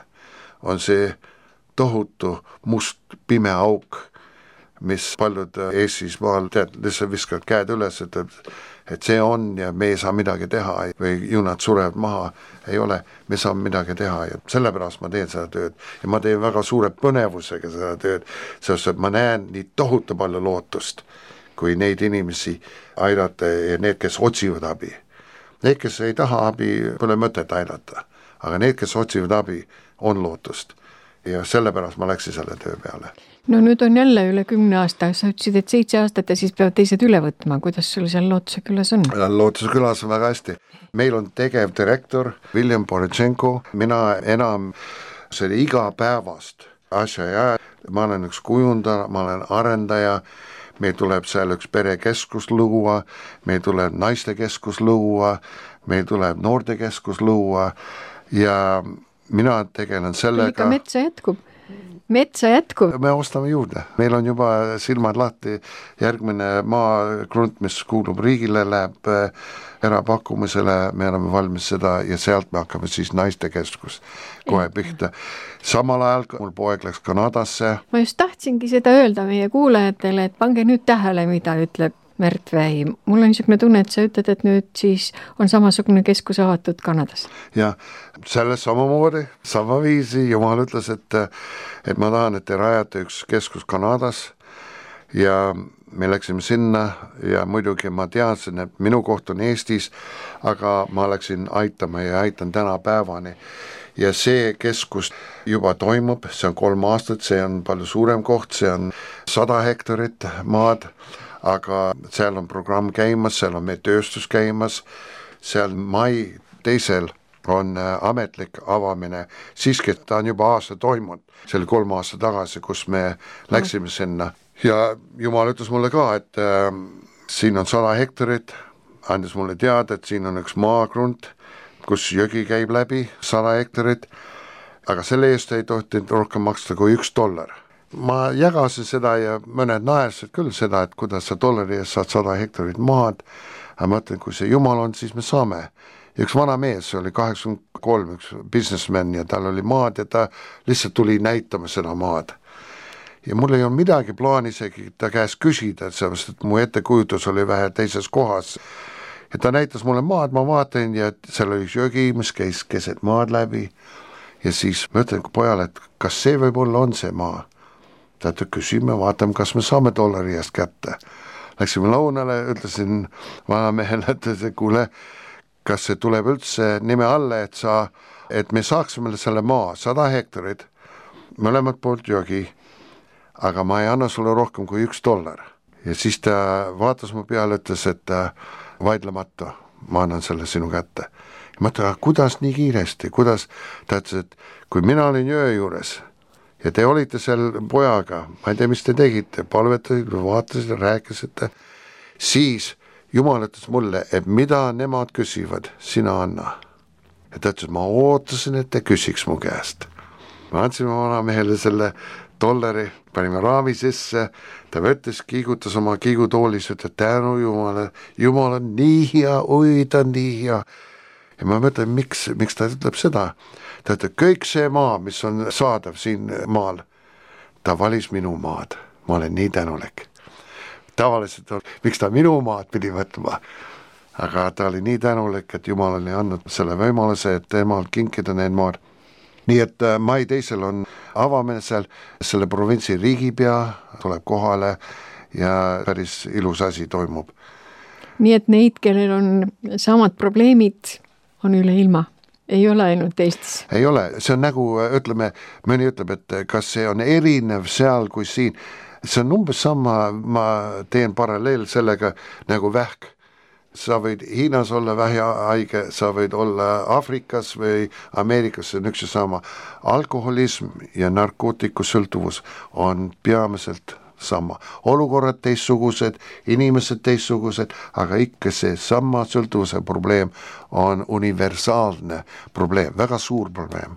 on see tohutu must pime auk, mis paljud Eestis maal, lihtsalt viskavad käed üles, et see on ja me ei saa midagi teha või ju nad surevad maha, ei ole, me saame midagi teha ja sellepärast ma teen seda tööd ja ma teen väga suure põnevusega seda tööd, sest et ma näen nii tohutu palju lootust, kui neid inimesi aidata ja need, kes otsivad abi. Need, kes ei taha abi, pole mõtet aidata, aga need, kes otsivad abi, on lootust ja sellepärast ma läksin selle töö peale. No nüüd on jälle üle 10 aasta, sa ütlesid, et 7 aastat ja siis peavad teised üle võtma, kuidas sul seal Lootuse külas on? Lootuse külas on väga hästi. Meil on tegevdirektor William Borechenko, mina enam selle igapäevast asja ja ma olen üks kujundaja, ma olen arendaja, meil tuleb seal üks perekeskus luua, meil tuleb naistekeskus luua, meil tuleb noortekeskus luua ja mina tegelen sellega. Ikka metsa jätkub. Me ostame juurde, meil on juba silmad lahti, järgmine maagrunt, mis kuulub riigile, läheb erapakkumisele, me oleme valmis seda ja sealt me hakkame siis naistekeskus kohe pihta. Samal ajal mul poeg läks Kanadasse. Ma just tahtsingi seda öelda meie kuulajatele, et pange nüüd tähele, mida ütleb Märt Vähi. Mul on niisugune tunne, et sa ütled, et nüüd siis on samasugune keskus avatud Kanadas. Ja selles samamoodi, sama viisi Jumal ütles, et ma tahan, et te rajate üks keskus Kanadas ja me läksime sinna ja muidugi ma teadsin, et minu koht on Eestis, aga ma läksin aitama ja aitan täna päevani. Ja see keskus juba toimub, see on 3 aastat, see on palju suurem koht, see on 100 hektarit maad, aga seal on programm käimas, seal on meie tööstus käimas, seal mai 2. on ametlik avamine, siiski ta on juba aasta toimunud, see oli 3 aasta tagasi, kus me läksime sinna ja Jumal ütles mulle ka, et siin on 100 hektarit, andis mulle teada, et siin on üks maagrunt, kus jõgi käib läbi, 100 hektarit, aga selle eest ei tohtinud rohkem maksta kui $1. Ma jagasin seda ja mõned naersid küll seda, et kuidas sa $1 eest saad 100 hektarit maad, aga ma ütlen, kui see Jumal on, siis me saame. Ja üks vana mees, see oli 83, üks businessman ja tal oli maad ja ta lihtsalt tuli näitama seda maad. Ja mul ei olnud midagi plaani isegi ta käest küsida, sellepärast, et mu ettekujutus oli vähe teises kohas. Ja ta näitas mulle maad, ma vaatan ja seal oli jõgi, mis käis keset maad läbi ja siis ma ütlen pojale, et kas see võib-olla on see maa? Ta küsime, vaatame, kas me saame $1 eest kätte. Läksime lõunale, ütlesin vanamehele, et kuule, kas see tuleb üldse nime alle, et me saaksime selle maa, 100 hektarit, mõlemad poolt jõgi, aga ma ei anna sulle rohkem kui $1. Ja siis ta vaatas mu peale, ütles, et vaidlemata, ma annan selle sinu kätte. Ja ma ütlen, kuidas nii kiiresti, kuidas? Ta ütles, et kui mina olin jõe juures, ja te olite seal pojaga, ma ei tea, mis te tegite, palvetasite, vaatasite, rääkisite, siis Jumal ütles mulle, et mida nemad küsivad, sina anna. Ja ta ütles, ma ootasin, et te küsiks mu käest. Ma andsin vanamehele selle $1, panime raami sisse, ta võttis, kiigutas oma kiigutoolis, ütles tänu Jumale, Jumal on nii hea, oi ta on nii hea. Ja ma mõtlen, miks ta ütleb seda? Ta ütleb, kõik see maa, mis on saadav siin maal, ta valis minu maad. Ma olen nii tänulik. Tavaliselt, miks ta minu maad pidi võtma? Aga ta oli nii tänulik, et Jumal oli andnud selle võimaluse, et temal kinkida need maad. Nii et mai 2. on avamine seal, selle provintsi riigipea tuleb kohale ja päris ilus asi toimub. Nii et neid, kellel on samad probleemid, on üle ilma. Ei ole ainult Eestis. Ei ole, see on nagu, ütleme, mõni ütleb, et kas see on erinev seal kui siin. See on umbes sama, ma teen paralleel sellega nagu vähk. Sa võid Hiinas olla vähihaige, sa võid olla Afrikas või Ameerikas, see on üks ja sama. Alkoholism ja narkootikusõltuvus on peamiselt sama. Olukorrad teistsugused, inimesed teistsugused, aga ikka see sama sõltuvuse probleem on universaalne probleem, väga suur probleem.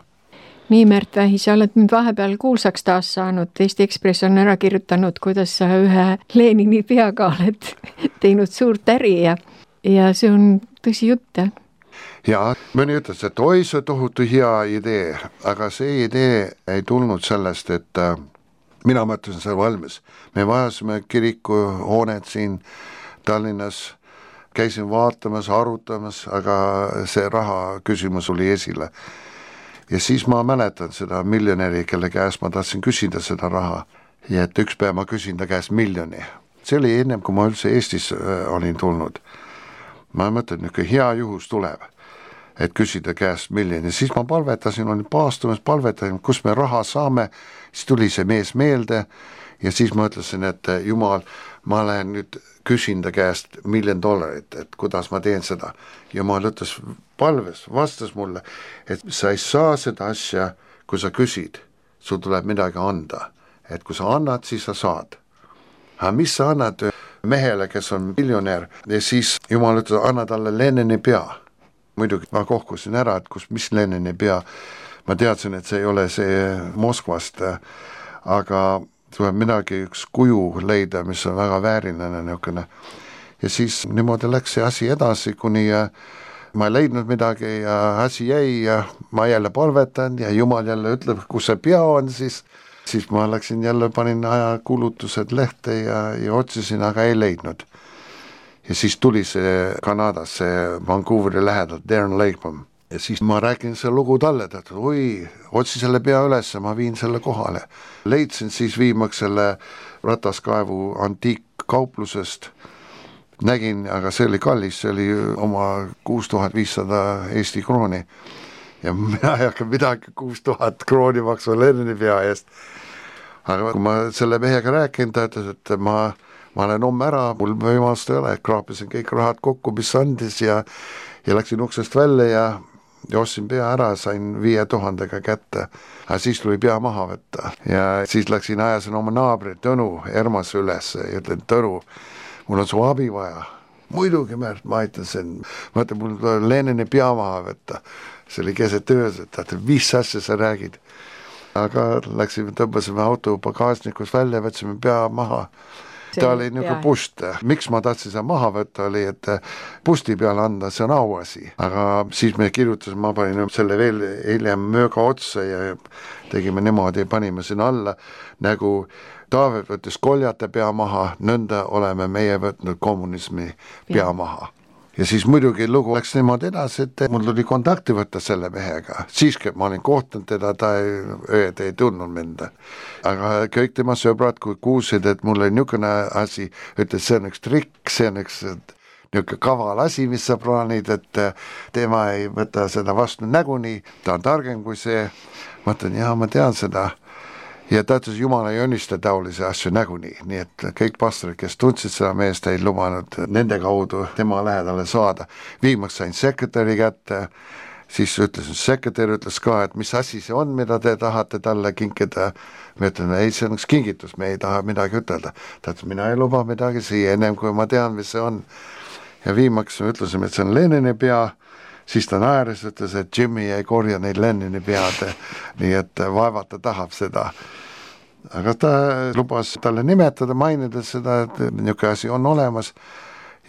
Nii, Märt Vähi, sa oled nüüd vahepeal kuulsaks taas saanud. Eesti Ekspress on ära kirjutanud, kuidas sa ühe Lenini peaga oled teinud suurt äri ja see on tõsi jutt, jah? Ja mõni ütles, et oi, see tohutu hea idee, aga see idee ei tulnud sellest, et mina mõtlesin see valmis. Me vajasime kirikuhoonet siin Tallinnas, käisin vaatamas, arutamas, aga see raha küsimus oli esile. Ja siis ma mäletan seda miljonäri, kelle käest ma tahtsin küsida seda raha. Ja et üks päev ma küsin ta käest miljoni. See oli ennem, kui ma üldse Eestis olin tulnud. Ma mõtlen, et hea juhus tuleb, et küsida käest miljoni. Siis ma palvetasin, olin paastumas, palvetasin, kus me raha saame. Siis tuli see mees meelde ja siis ma ütlesin, et Jumal, ma lähen nüüd küsin ta käest $1 million, et kuidas ma teen seda. Jumal ütles palves, vastas mulle, et sa ei saa seda asja, kui sa küsid, sul tuleb midagi anda. Et kui sa annad, siis sa saad. Aga mis sa annad mehele, kes on miljonär, ja siis Jumal ütles, anna talle Lenini pea. Muidugi ma kohkusin ära, et mis Lenini pea. Ma teadsin, et see ei ole see Moskvast, aga tuleb midagi, üks kuju leida, mis on väga vääriline niisugune. Ja siis niimoodi läks see asi edasi, kuni ma ei leidnud midagi ja asi jäi ja ma jälle palvetan ja Jumal jälle ütleb, kus see pea on, siis ma läksin jälle, panin ajakulutused lehte ja otsisin, aga ei leidnud. Ja siis tuli see Kanadas, see Vancouveri lähedalt, Darren Lakeman. Ja siis ma räägin selle lugu talle, et oi, otsi selle pea üles, ma viin selle kohale. Leidsin siis viimaks selle rataskaevu antiikkauplusest. Nägin, aga see oli kallis, see oli oma 6500 Eesti krooni. Ja mina ei hakka midagi 6000 krooni maksma Lenini pea eest. Aga kui ma selle mehega rääkin, ta ütles, et ma olen homme ära, mul võimalust ei ole, kraapisin kõik rahad kokku, mis andis ja läksin uksest välja ja ostsin pea ära, sain 5000 kätte. Aga siis tuli pea maha võtta ja siis läksin ajasin oma naabri Tõnu Ermas üles ja ütlen, Tõnu, mul on su abi vaja. Muidugi, Märt, ma aitasin, mul tuleb Lenini pea maha võtta. See oli keset öös, et mis asja sa räägid. Aga läksime, tõmbasime auto bagaasnikus välja, võtsime pea maha. Ta oli niisugune pust. Miks ma tahtsin seda maha võtta oli, et pusti peale anda, see on auasi. Aga siis me kirjutasime, ma panin selle veel hiljem mööga otsa ja tegime niimoodi, panime sinna alla nagu Taavet võttis koljate pea maha, nõnda oleme meie võtnud kommunismi pea maha. Ja siis muidugi lugu läks niimoodi edasi, et mul tuli kontakti võtta selle mehega. Siiski ma olin kohtanud teda, ta ei tundnud mind. Aga kõik tema sõbrad, kui kuulsid, et mul oli niisugune asi, ütles, see on üks trikk, see on üks niisugune kaval asi, mis sa plaanid, et tema ei võta seda vastu näguni, ta on targem kui see. Ma ütlen, jah, ma tean seda. Ja ta ütles, Jumal ei õnnista taolisi asju näguni, nii et kõik pastorid, kes tundsid seda meest, ei lubanud nende kaudu tema lähedale saada. Viimaks sain sekretäri kätte, siis ütlesin, sekretär ütles ka, et mis asi see on, mida te tahate talle kinkida. Me ütlen, ei, see on üks kingitus, me ei taha midagi ütelda. Ta ütles, mina ei luba midagi siia, ennem kui ma tean, mis see on. Ja viimaks ütlesime, et see on Lenini pea. Siis ta naeris, ütles, et Jimmy ei korja neid Lenini pead, nii et vaevata tahab seda. Aga ta lubas talle nimetada, mainida seda, et niisugune asi on olemas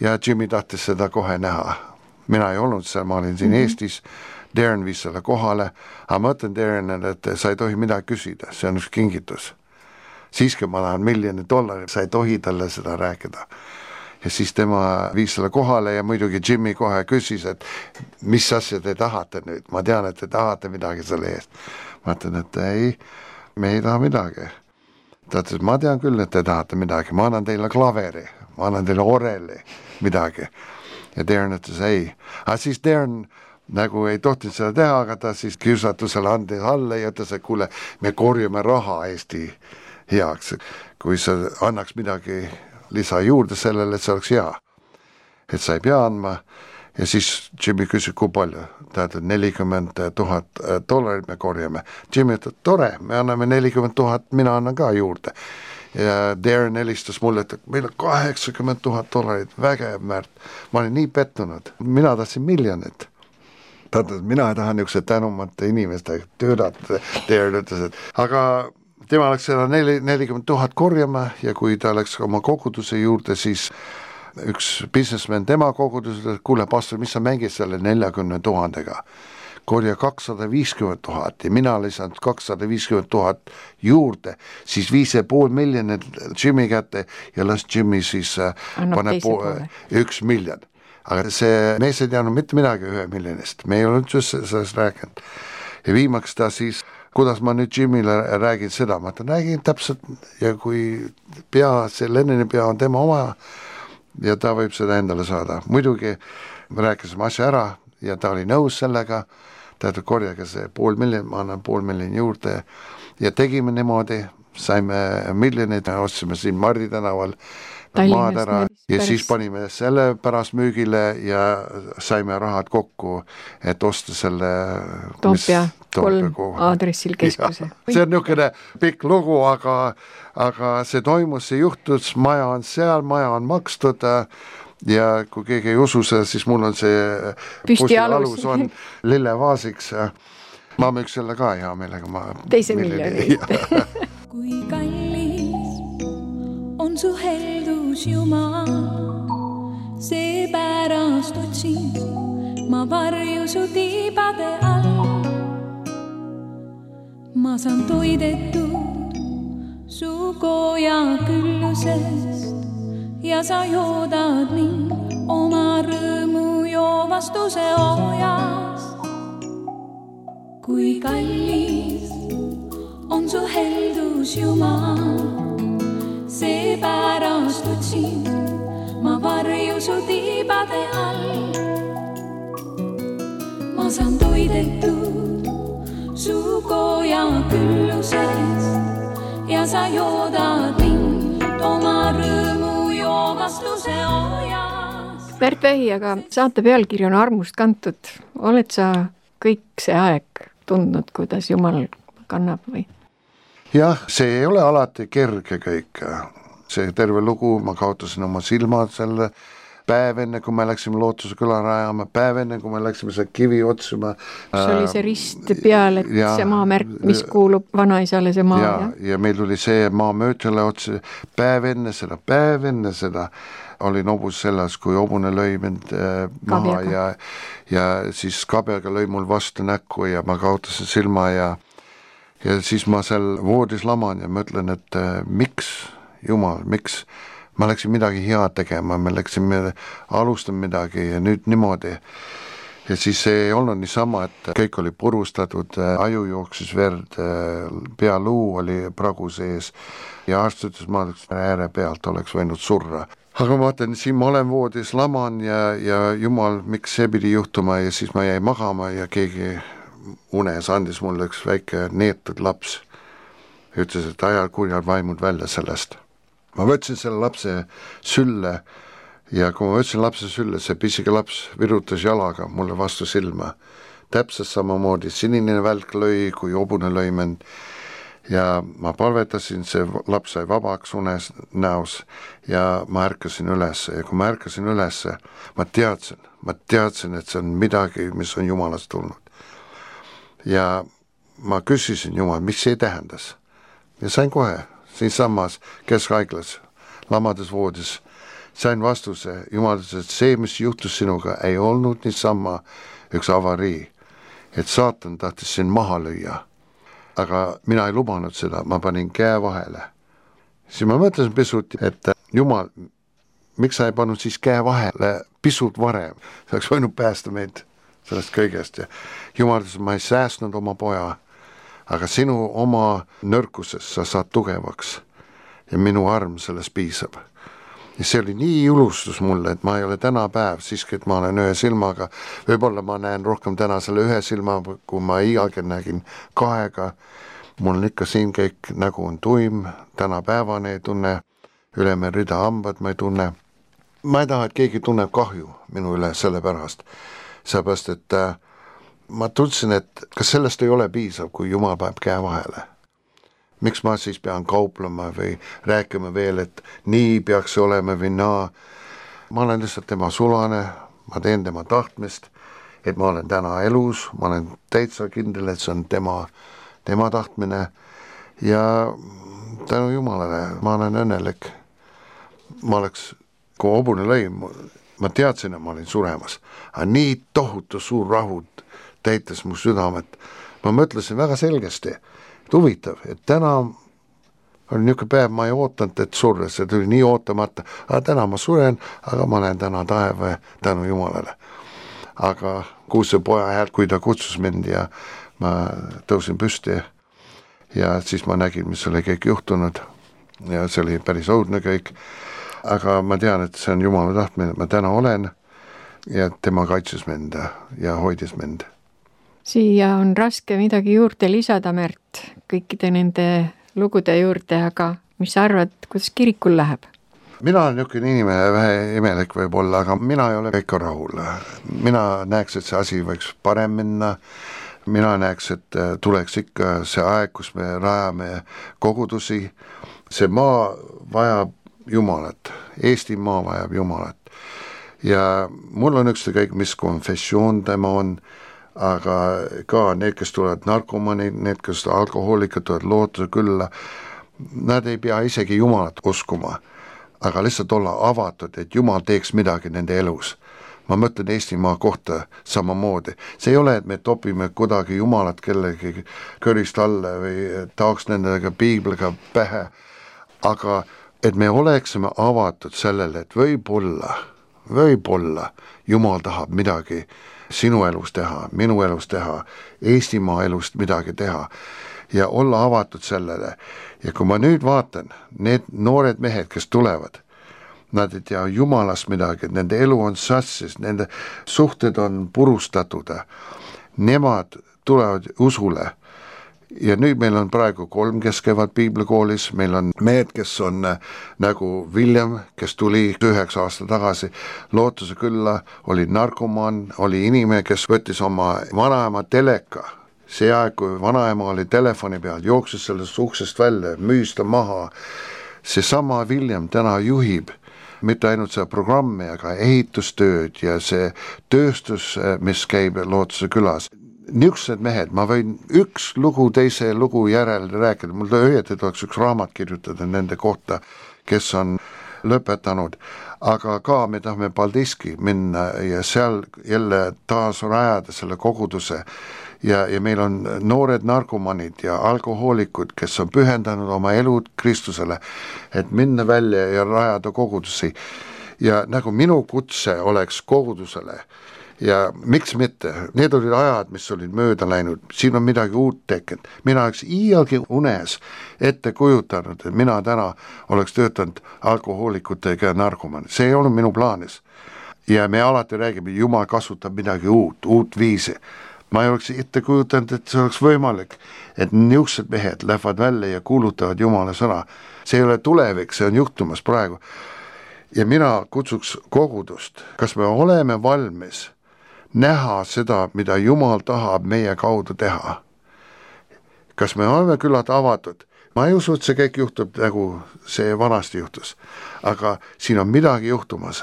ja Jimmy tahtis seda kohe näha. Mina ei olnud seal, ma olin siin Eestis, Darren viis selle kohale, aga ma ütlen Darrenile, et sa ei tohi midagi küsida, see on üks kingitus. Siiski ma tahan $1 million, sa ei tohi talle seda rääkida. Ja siis tema viis selle kohale ja muidugi Jimmy kohe küsis, et mis asja te tahate nüüd? Ma tean, et te tahate midagi selle eest. Ma ütlen, et ei, me ei taha midagi. Ta ütles, ma tean küll, et te tahate midagi. Ma annan teile klaveri, ma annan teile oreli, midagi. Ja Darren ütles, ei. Aga siis Darren nagu ei tohtinud seda teha, aga ta siis kiusatusele andis alla ja ütles, et kuule, me korjame raha Eesti heaks. Kui sa annaks midagi lisa juurde sellele, et see oleks hea. Et sa ei pea andma. Ja siis Jimmy küsis, kui palju? Ta ütleb, $40,000 me korjame. Jimmy ütleb, tore, me anname $40,000, mina annan ka juurde. Ja Darren helistas mulle, et meil on $80,000, vägev, Märt. Ma olin nii pettunud. Mina tahtsin miljonit. Ta ütles, mina tahan niisuguse tänumate inimeste töödata. Darren ütles, et aga tema läks seda 40,000 korjama ja kui ta läks oma koguduse juurde, siis üks businessman tema koguduse, kuule pastor, mis sa mängid selle 40,000-ga? Korja 250,000 ja mina lisan 250,000 juurde, siis 5,5 miljonit Jimmy kätte ja las Jimmy siis paneb $1 miljon. aga see mees ei teadnud mitte midagi 1 miljonist, me ei olnud just sellest rääkinud. Ja viimaks ta siis, kuidas ma nüüd Jimile räägin seda, ma räägin täpselt ja kui see Lennoni pea on tema oma ja ta võib seda endale saada. Muidugi me rääkisime asja ära ja ta oli nõus sellega, tähendab korjaga see 500 000, ma annan 500 000 juurde ja tegime niimoodi, saime miljonid, ostsime siin Mardi tänaval maad ära ja siis panime selle pärast müügile ja saime rahad kokku, et osta selle Toompea 3 aadressil keskuse. See on niisugune pikk lugu, aga see toimus, see juhtus, maja on seal, maja on makstud ja kui keegi ei usu seda, siis mul on see püstialus on lillevaasiks. Ma müüks selle ka hea meelega. Teise miljoni. Kui kallis on su heldus Jumal, seepärast otsin ma varju su tiibade all. Ma saan toidetud su koja küllusest ja sa joodad mind oma rõõmu joovastuse oojast. Kui kallis on su heldus Jumal, seepärast otsin ma varju su tiibade all. Ma saan toidetud su koja küllusest ja sa joodad mind oma rõõmu joovastuse oojast. Märt Vähi, aga saate pealkiri on Armust kantud. Oled sa kõik see aeg tundnud, kuidas Jumal kannab või? Jah, see ei ole alati kerge kõik. See terve lugu, ma kaotasin oma silmad selle päev enne, kui me läksime Lootuse küla rajama, päev enne, kui me läksime see kivi otsima. See oli see rist peal, et see maamärk, mis kuulub vanaisale see maa. Ja meil oli see maamöötjale otsi, päev enne seda olin hobus selles, kui hobune lõi mind maha ja siis kabjaga lõi mul vastu näkku ja ma kaotasin silma ja siis ma seal voodis laman ja mõtlen, et miks, Jumal, miks ma läksin midagi head tegema, me alustame midagi ja nüüd niimoodi. Ja siis see ei olnud niisama, et kõik oli purustatud, aju jooksis verd, pealuu oli pragu sees ja arst ütles, ma ääre pealt oleks võinud surra. Aga ma vaatan, siin ma olen voodis laman ja Jumal, miks see pidi juhtuma ja siis ma jäin magama ja keegi unes andis mulle üks väike neetud laps. Ütles, et ajal kurjad vaimud välja sellest. Ma võtsin selle lapse sülle ja kui ma võtsin lapse sülle, see pisike laps virutas jalaga mulle vastu silma. Täpselt samamoodi sinine välk lõi, kui hobune lõi mind. Ja ma palvetasin, see laps sai vabaks unes näos ja ma ärkasin üles ja kui ma ärkasin üles, ma teadsin, et see on midagi, mis on Jumalast tulnud. Ja ma küsisin Jumal, mis see tähendas ja sain kohe siinsamas keskhaiglas, lamades voodis, sain vastuse, Jumal ütles, et see, mis juhtus sinuga, ei olnud niisama üks avarii, et saatan tahtis sind maha lüüa. Aga mina ei lubanud seda, ma panin käe vahele. Siis ma mõtlesin pisut, et Jumal, miks sa ei pannud siis käe vahele pisut varem? See oleks võinud päästa meid sellest kõigest. Ja Jumal ütles, ma ei säästnud oma poja, aga sinu oma nõrkuses sa saad tugevaks ja minu arm sellest piisab. Ja see oli nii julustus mulle, et ma ei ole täna päev, siiski, et ma olen ühe silmaga, võib-olla ma näen rohkem täna selle ühe silma, kui ma iialgi nägin kahega, mul on ikka siin kõik nägu on tuim, täna päevane ei tunne, üleme rida hambad ma ei tunne. Ma ei taha, et keegi tunneb kahju minu üle selle pärast, sellepärast, et ma tundsin, et kas sellest ei ole piisav, kui Jumal paneb käe vahele. Miks ma siis pean kauplema või rääkima veel, et nii peaks olema või naa. Ma olen lihtsalt tema sulane, ma teen tema tahtmist, et ma olen täna elus, ma olen täitsa kindel, et see on tema tahtmine ja tänu Jumalale ma olen õnnelik. Ma oleks, kui hobune lõi, ma teadsin, et ma olin suremas, aga nii tohutu suur rahud täitis mu südamet. Ma mõtlesin väga selgesti, et huvitav, et täna oli niisugune päev, ma ei ootanud, et surra, see tuli nii ootamata, aga täna ma suren, aga ma olen täna taeva tänu Jumalale. Aga kuulsin poja häält, kui ta kutsus mind ja ma tõusin püsti ja siis ma nägin, mis oli kõik juhtunud ja see oli päris õudne kõik, aga ma tean, et see on Jumala tahtmine, et ma täna olen ja tema kaitses mind ja hoidis mind. Siia on raske midagi juurde lisada, Märt, kõikide nende lugude juurde, aga mis sa arvad, kuidas kirikul läheb? Mina olen niisugune inimene, vähe imelik võib-olla, aga mina ei ole ikka rahul. Mina näeks, et see asi võiks parem minna, mina näeks, et tuleks ikka see aeg, kus me rajame kogudusi, see maa vajab Jumalat, Eesti maa vajab Jumalat ja mul on ükskõik, mis konfessioon tema on, aga ka need, kes tulevad narkomanid, need, kes alkohoolikud tulevad lootuse külla, nad ei pea isegi Jumalat uskuma, aga lihtsalt olla avatud, et Jumal teeks midagi nende elus. Ma mõtlen Eestimaa kohta samamoodi. See ei ole, et me topime kuidagi Jumalat kellegi körist alla või taoks nendega piibliga pähe, aga et me oleksime avatud sellele, et võib-olla Jumal tahab midagi sinu elus teha, minu elus teha, Eestimaa elust midagi teha ja olla avatud sellele. Ja kui ma nüüd vaatan, need noored mehed, kes tulevad, nad ei tea Jumalast midagi, nende elu on sassis, nende suhted on purustatud, nemad tulevad usule. Ja nüüd meil on praegu 3, kes käivad piiblikoolis, meil on mehed, kes on nagu William, kes tuli 9 aasta tagasi lootuse külla, oli narkomaan, oli inimene, kes võttis oma vanaema teleka. See aeg, kui vanaema oli telefoni peal, jooksis sellest uksest välja, müüs ta maha. Seesama William täna juhib mitte ainult seda programmi, aga ehitustööd ja see tööstus, mis käib Lootuse külas. Niisugused mehed, ma võin üks lugu teise lugu järel rääkida, mul õieti tuleks üks raamat kirjutada nende kohta, kes on lõpetanud, aga ka me tahame Paldiski minna ja seal jälle taas rajada selle koguduse ja meil on noored narkomanid ja alkohoolikud, kes on pühendanud oma elud Kristusele, et minna välja ja rajada kogudusi ja nagu minu kutse oleks kogudusele. Ja miks mitte, need olid ajad, mis olid mööda läinud, siin on midagi uut tekkinud. Mina oleks iialgi unes ette kujutanud, et mina täna oleks töötanud alkohoolikutega ja narkomanid. See ei olnud minu plaanis. Ja me alati räägime, Jumal kasutab midagi uut viisi. Ma ei oleks ette kujutanud, et see oleks võimalik, et niisugused mehed lähevad välja ja kuulutavad Jumala sõna. See ei ole tulevik, see on juhtumas praegu. Ja mina kutsuks kogudust, kas me oleme valmis näha seda, mida Jumal tahab meie kaudu teha. Kas me oleme küllalt avatud? Ma ei usu, et see kõik juhtub nagu see vanasti juhtus, aga siin on midagi juhtumas.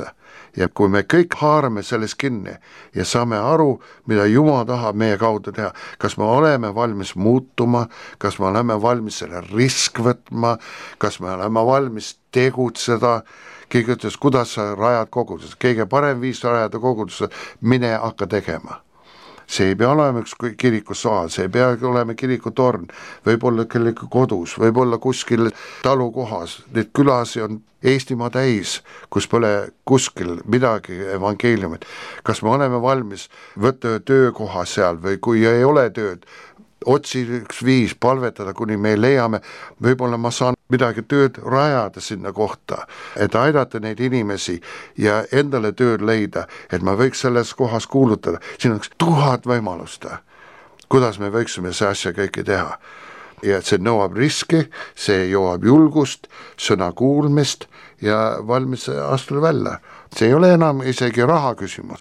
Ja kui me kõik haarame sellest kinni ja saame aru, mida Jumal tahab meie kaudu teha, kas me oleme valmis muutuma, kas me oleme valmis selle risk võtma, kas me oleme valmis tegutseda. Keegi ütles, kuidas sa rajad koguduse. Kõige parem viis rajada koguduse, mine hakka tegema. See ei pea olema üks kirikusaal, see ei pea olema kirikutorn, võib-olla kellegi kodus, võib-olla kuskil talukohas. Need külasi on Eestimaa täis, kus pole kuskil midagi evangeeliumit. Kas me oleme valmis võtta töökoha seal või kui ei ole tööd, otsi üks viis palvetada, kuni me leiame, võib-olla ma saan midagi tööd rajada sinna kohta, et aidata neid inimesi ja endale tööd leida, et ma võiks selles kohas kuulutada. Siin on 1000 võimalust, kuidas me võiksime see asja kõike teha. Ja see nõuab riski, see jõuab julgust, sõna kuulmist ja valmis astuda välja. See ei ole enam isegi raha küsimus.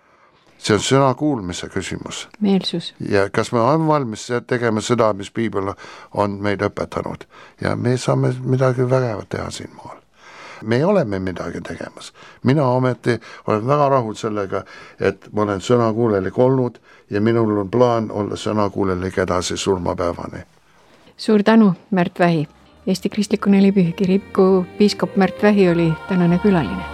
See on sõna kuulmise küsimus. Meelsus. Ja kas me oleme valmis tegema seda, mis Piibel on meid õpetanud. Ja me saame midagi vägevat teha siin maal. Me oleme midagi tegemas. Mina ometi olen väga rahul sellega, et ma olen sõnakuulelik olnud ja minul on plaan olla sõnakuulelik edasi surmapäevani. Suur tänu, Märt Vähi. Eesti Kristliku Nelipühi kiriku piiskop Märt Vähi oli tänane külaline.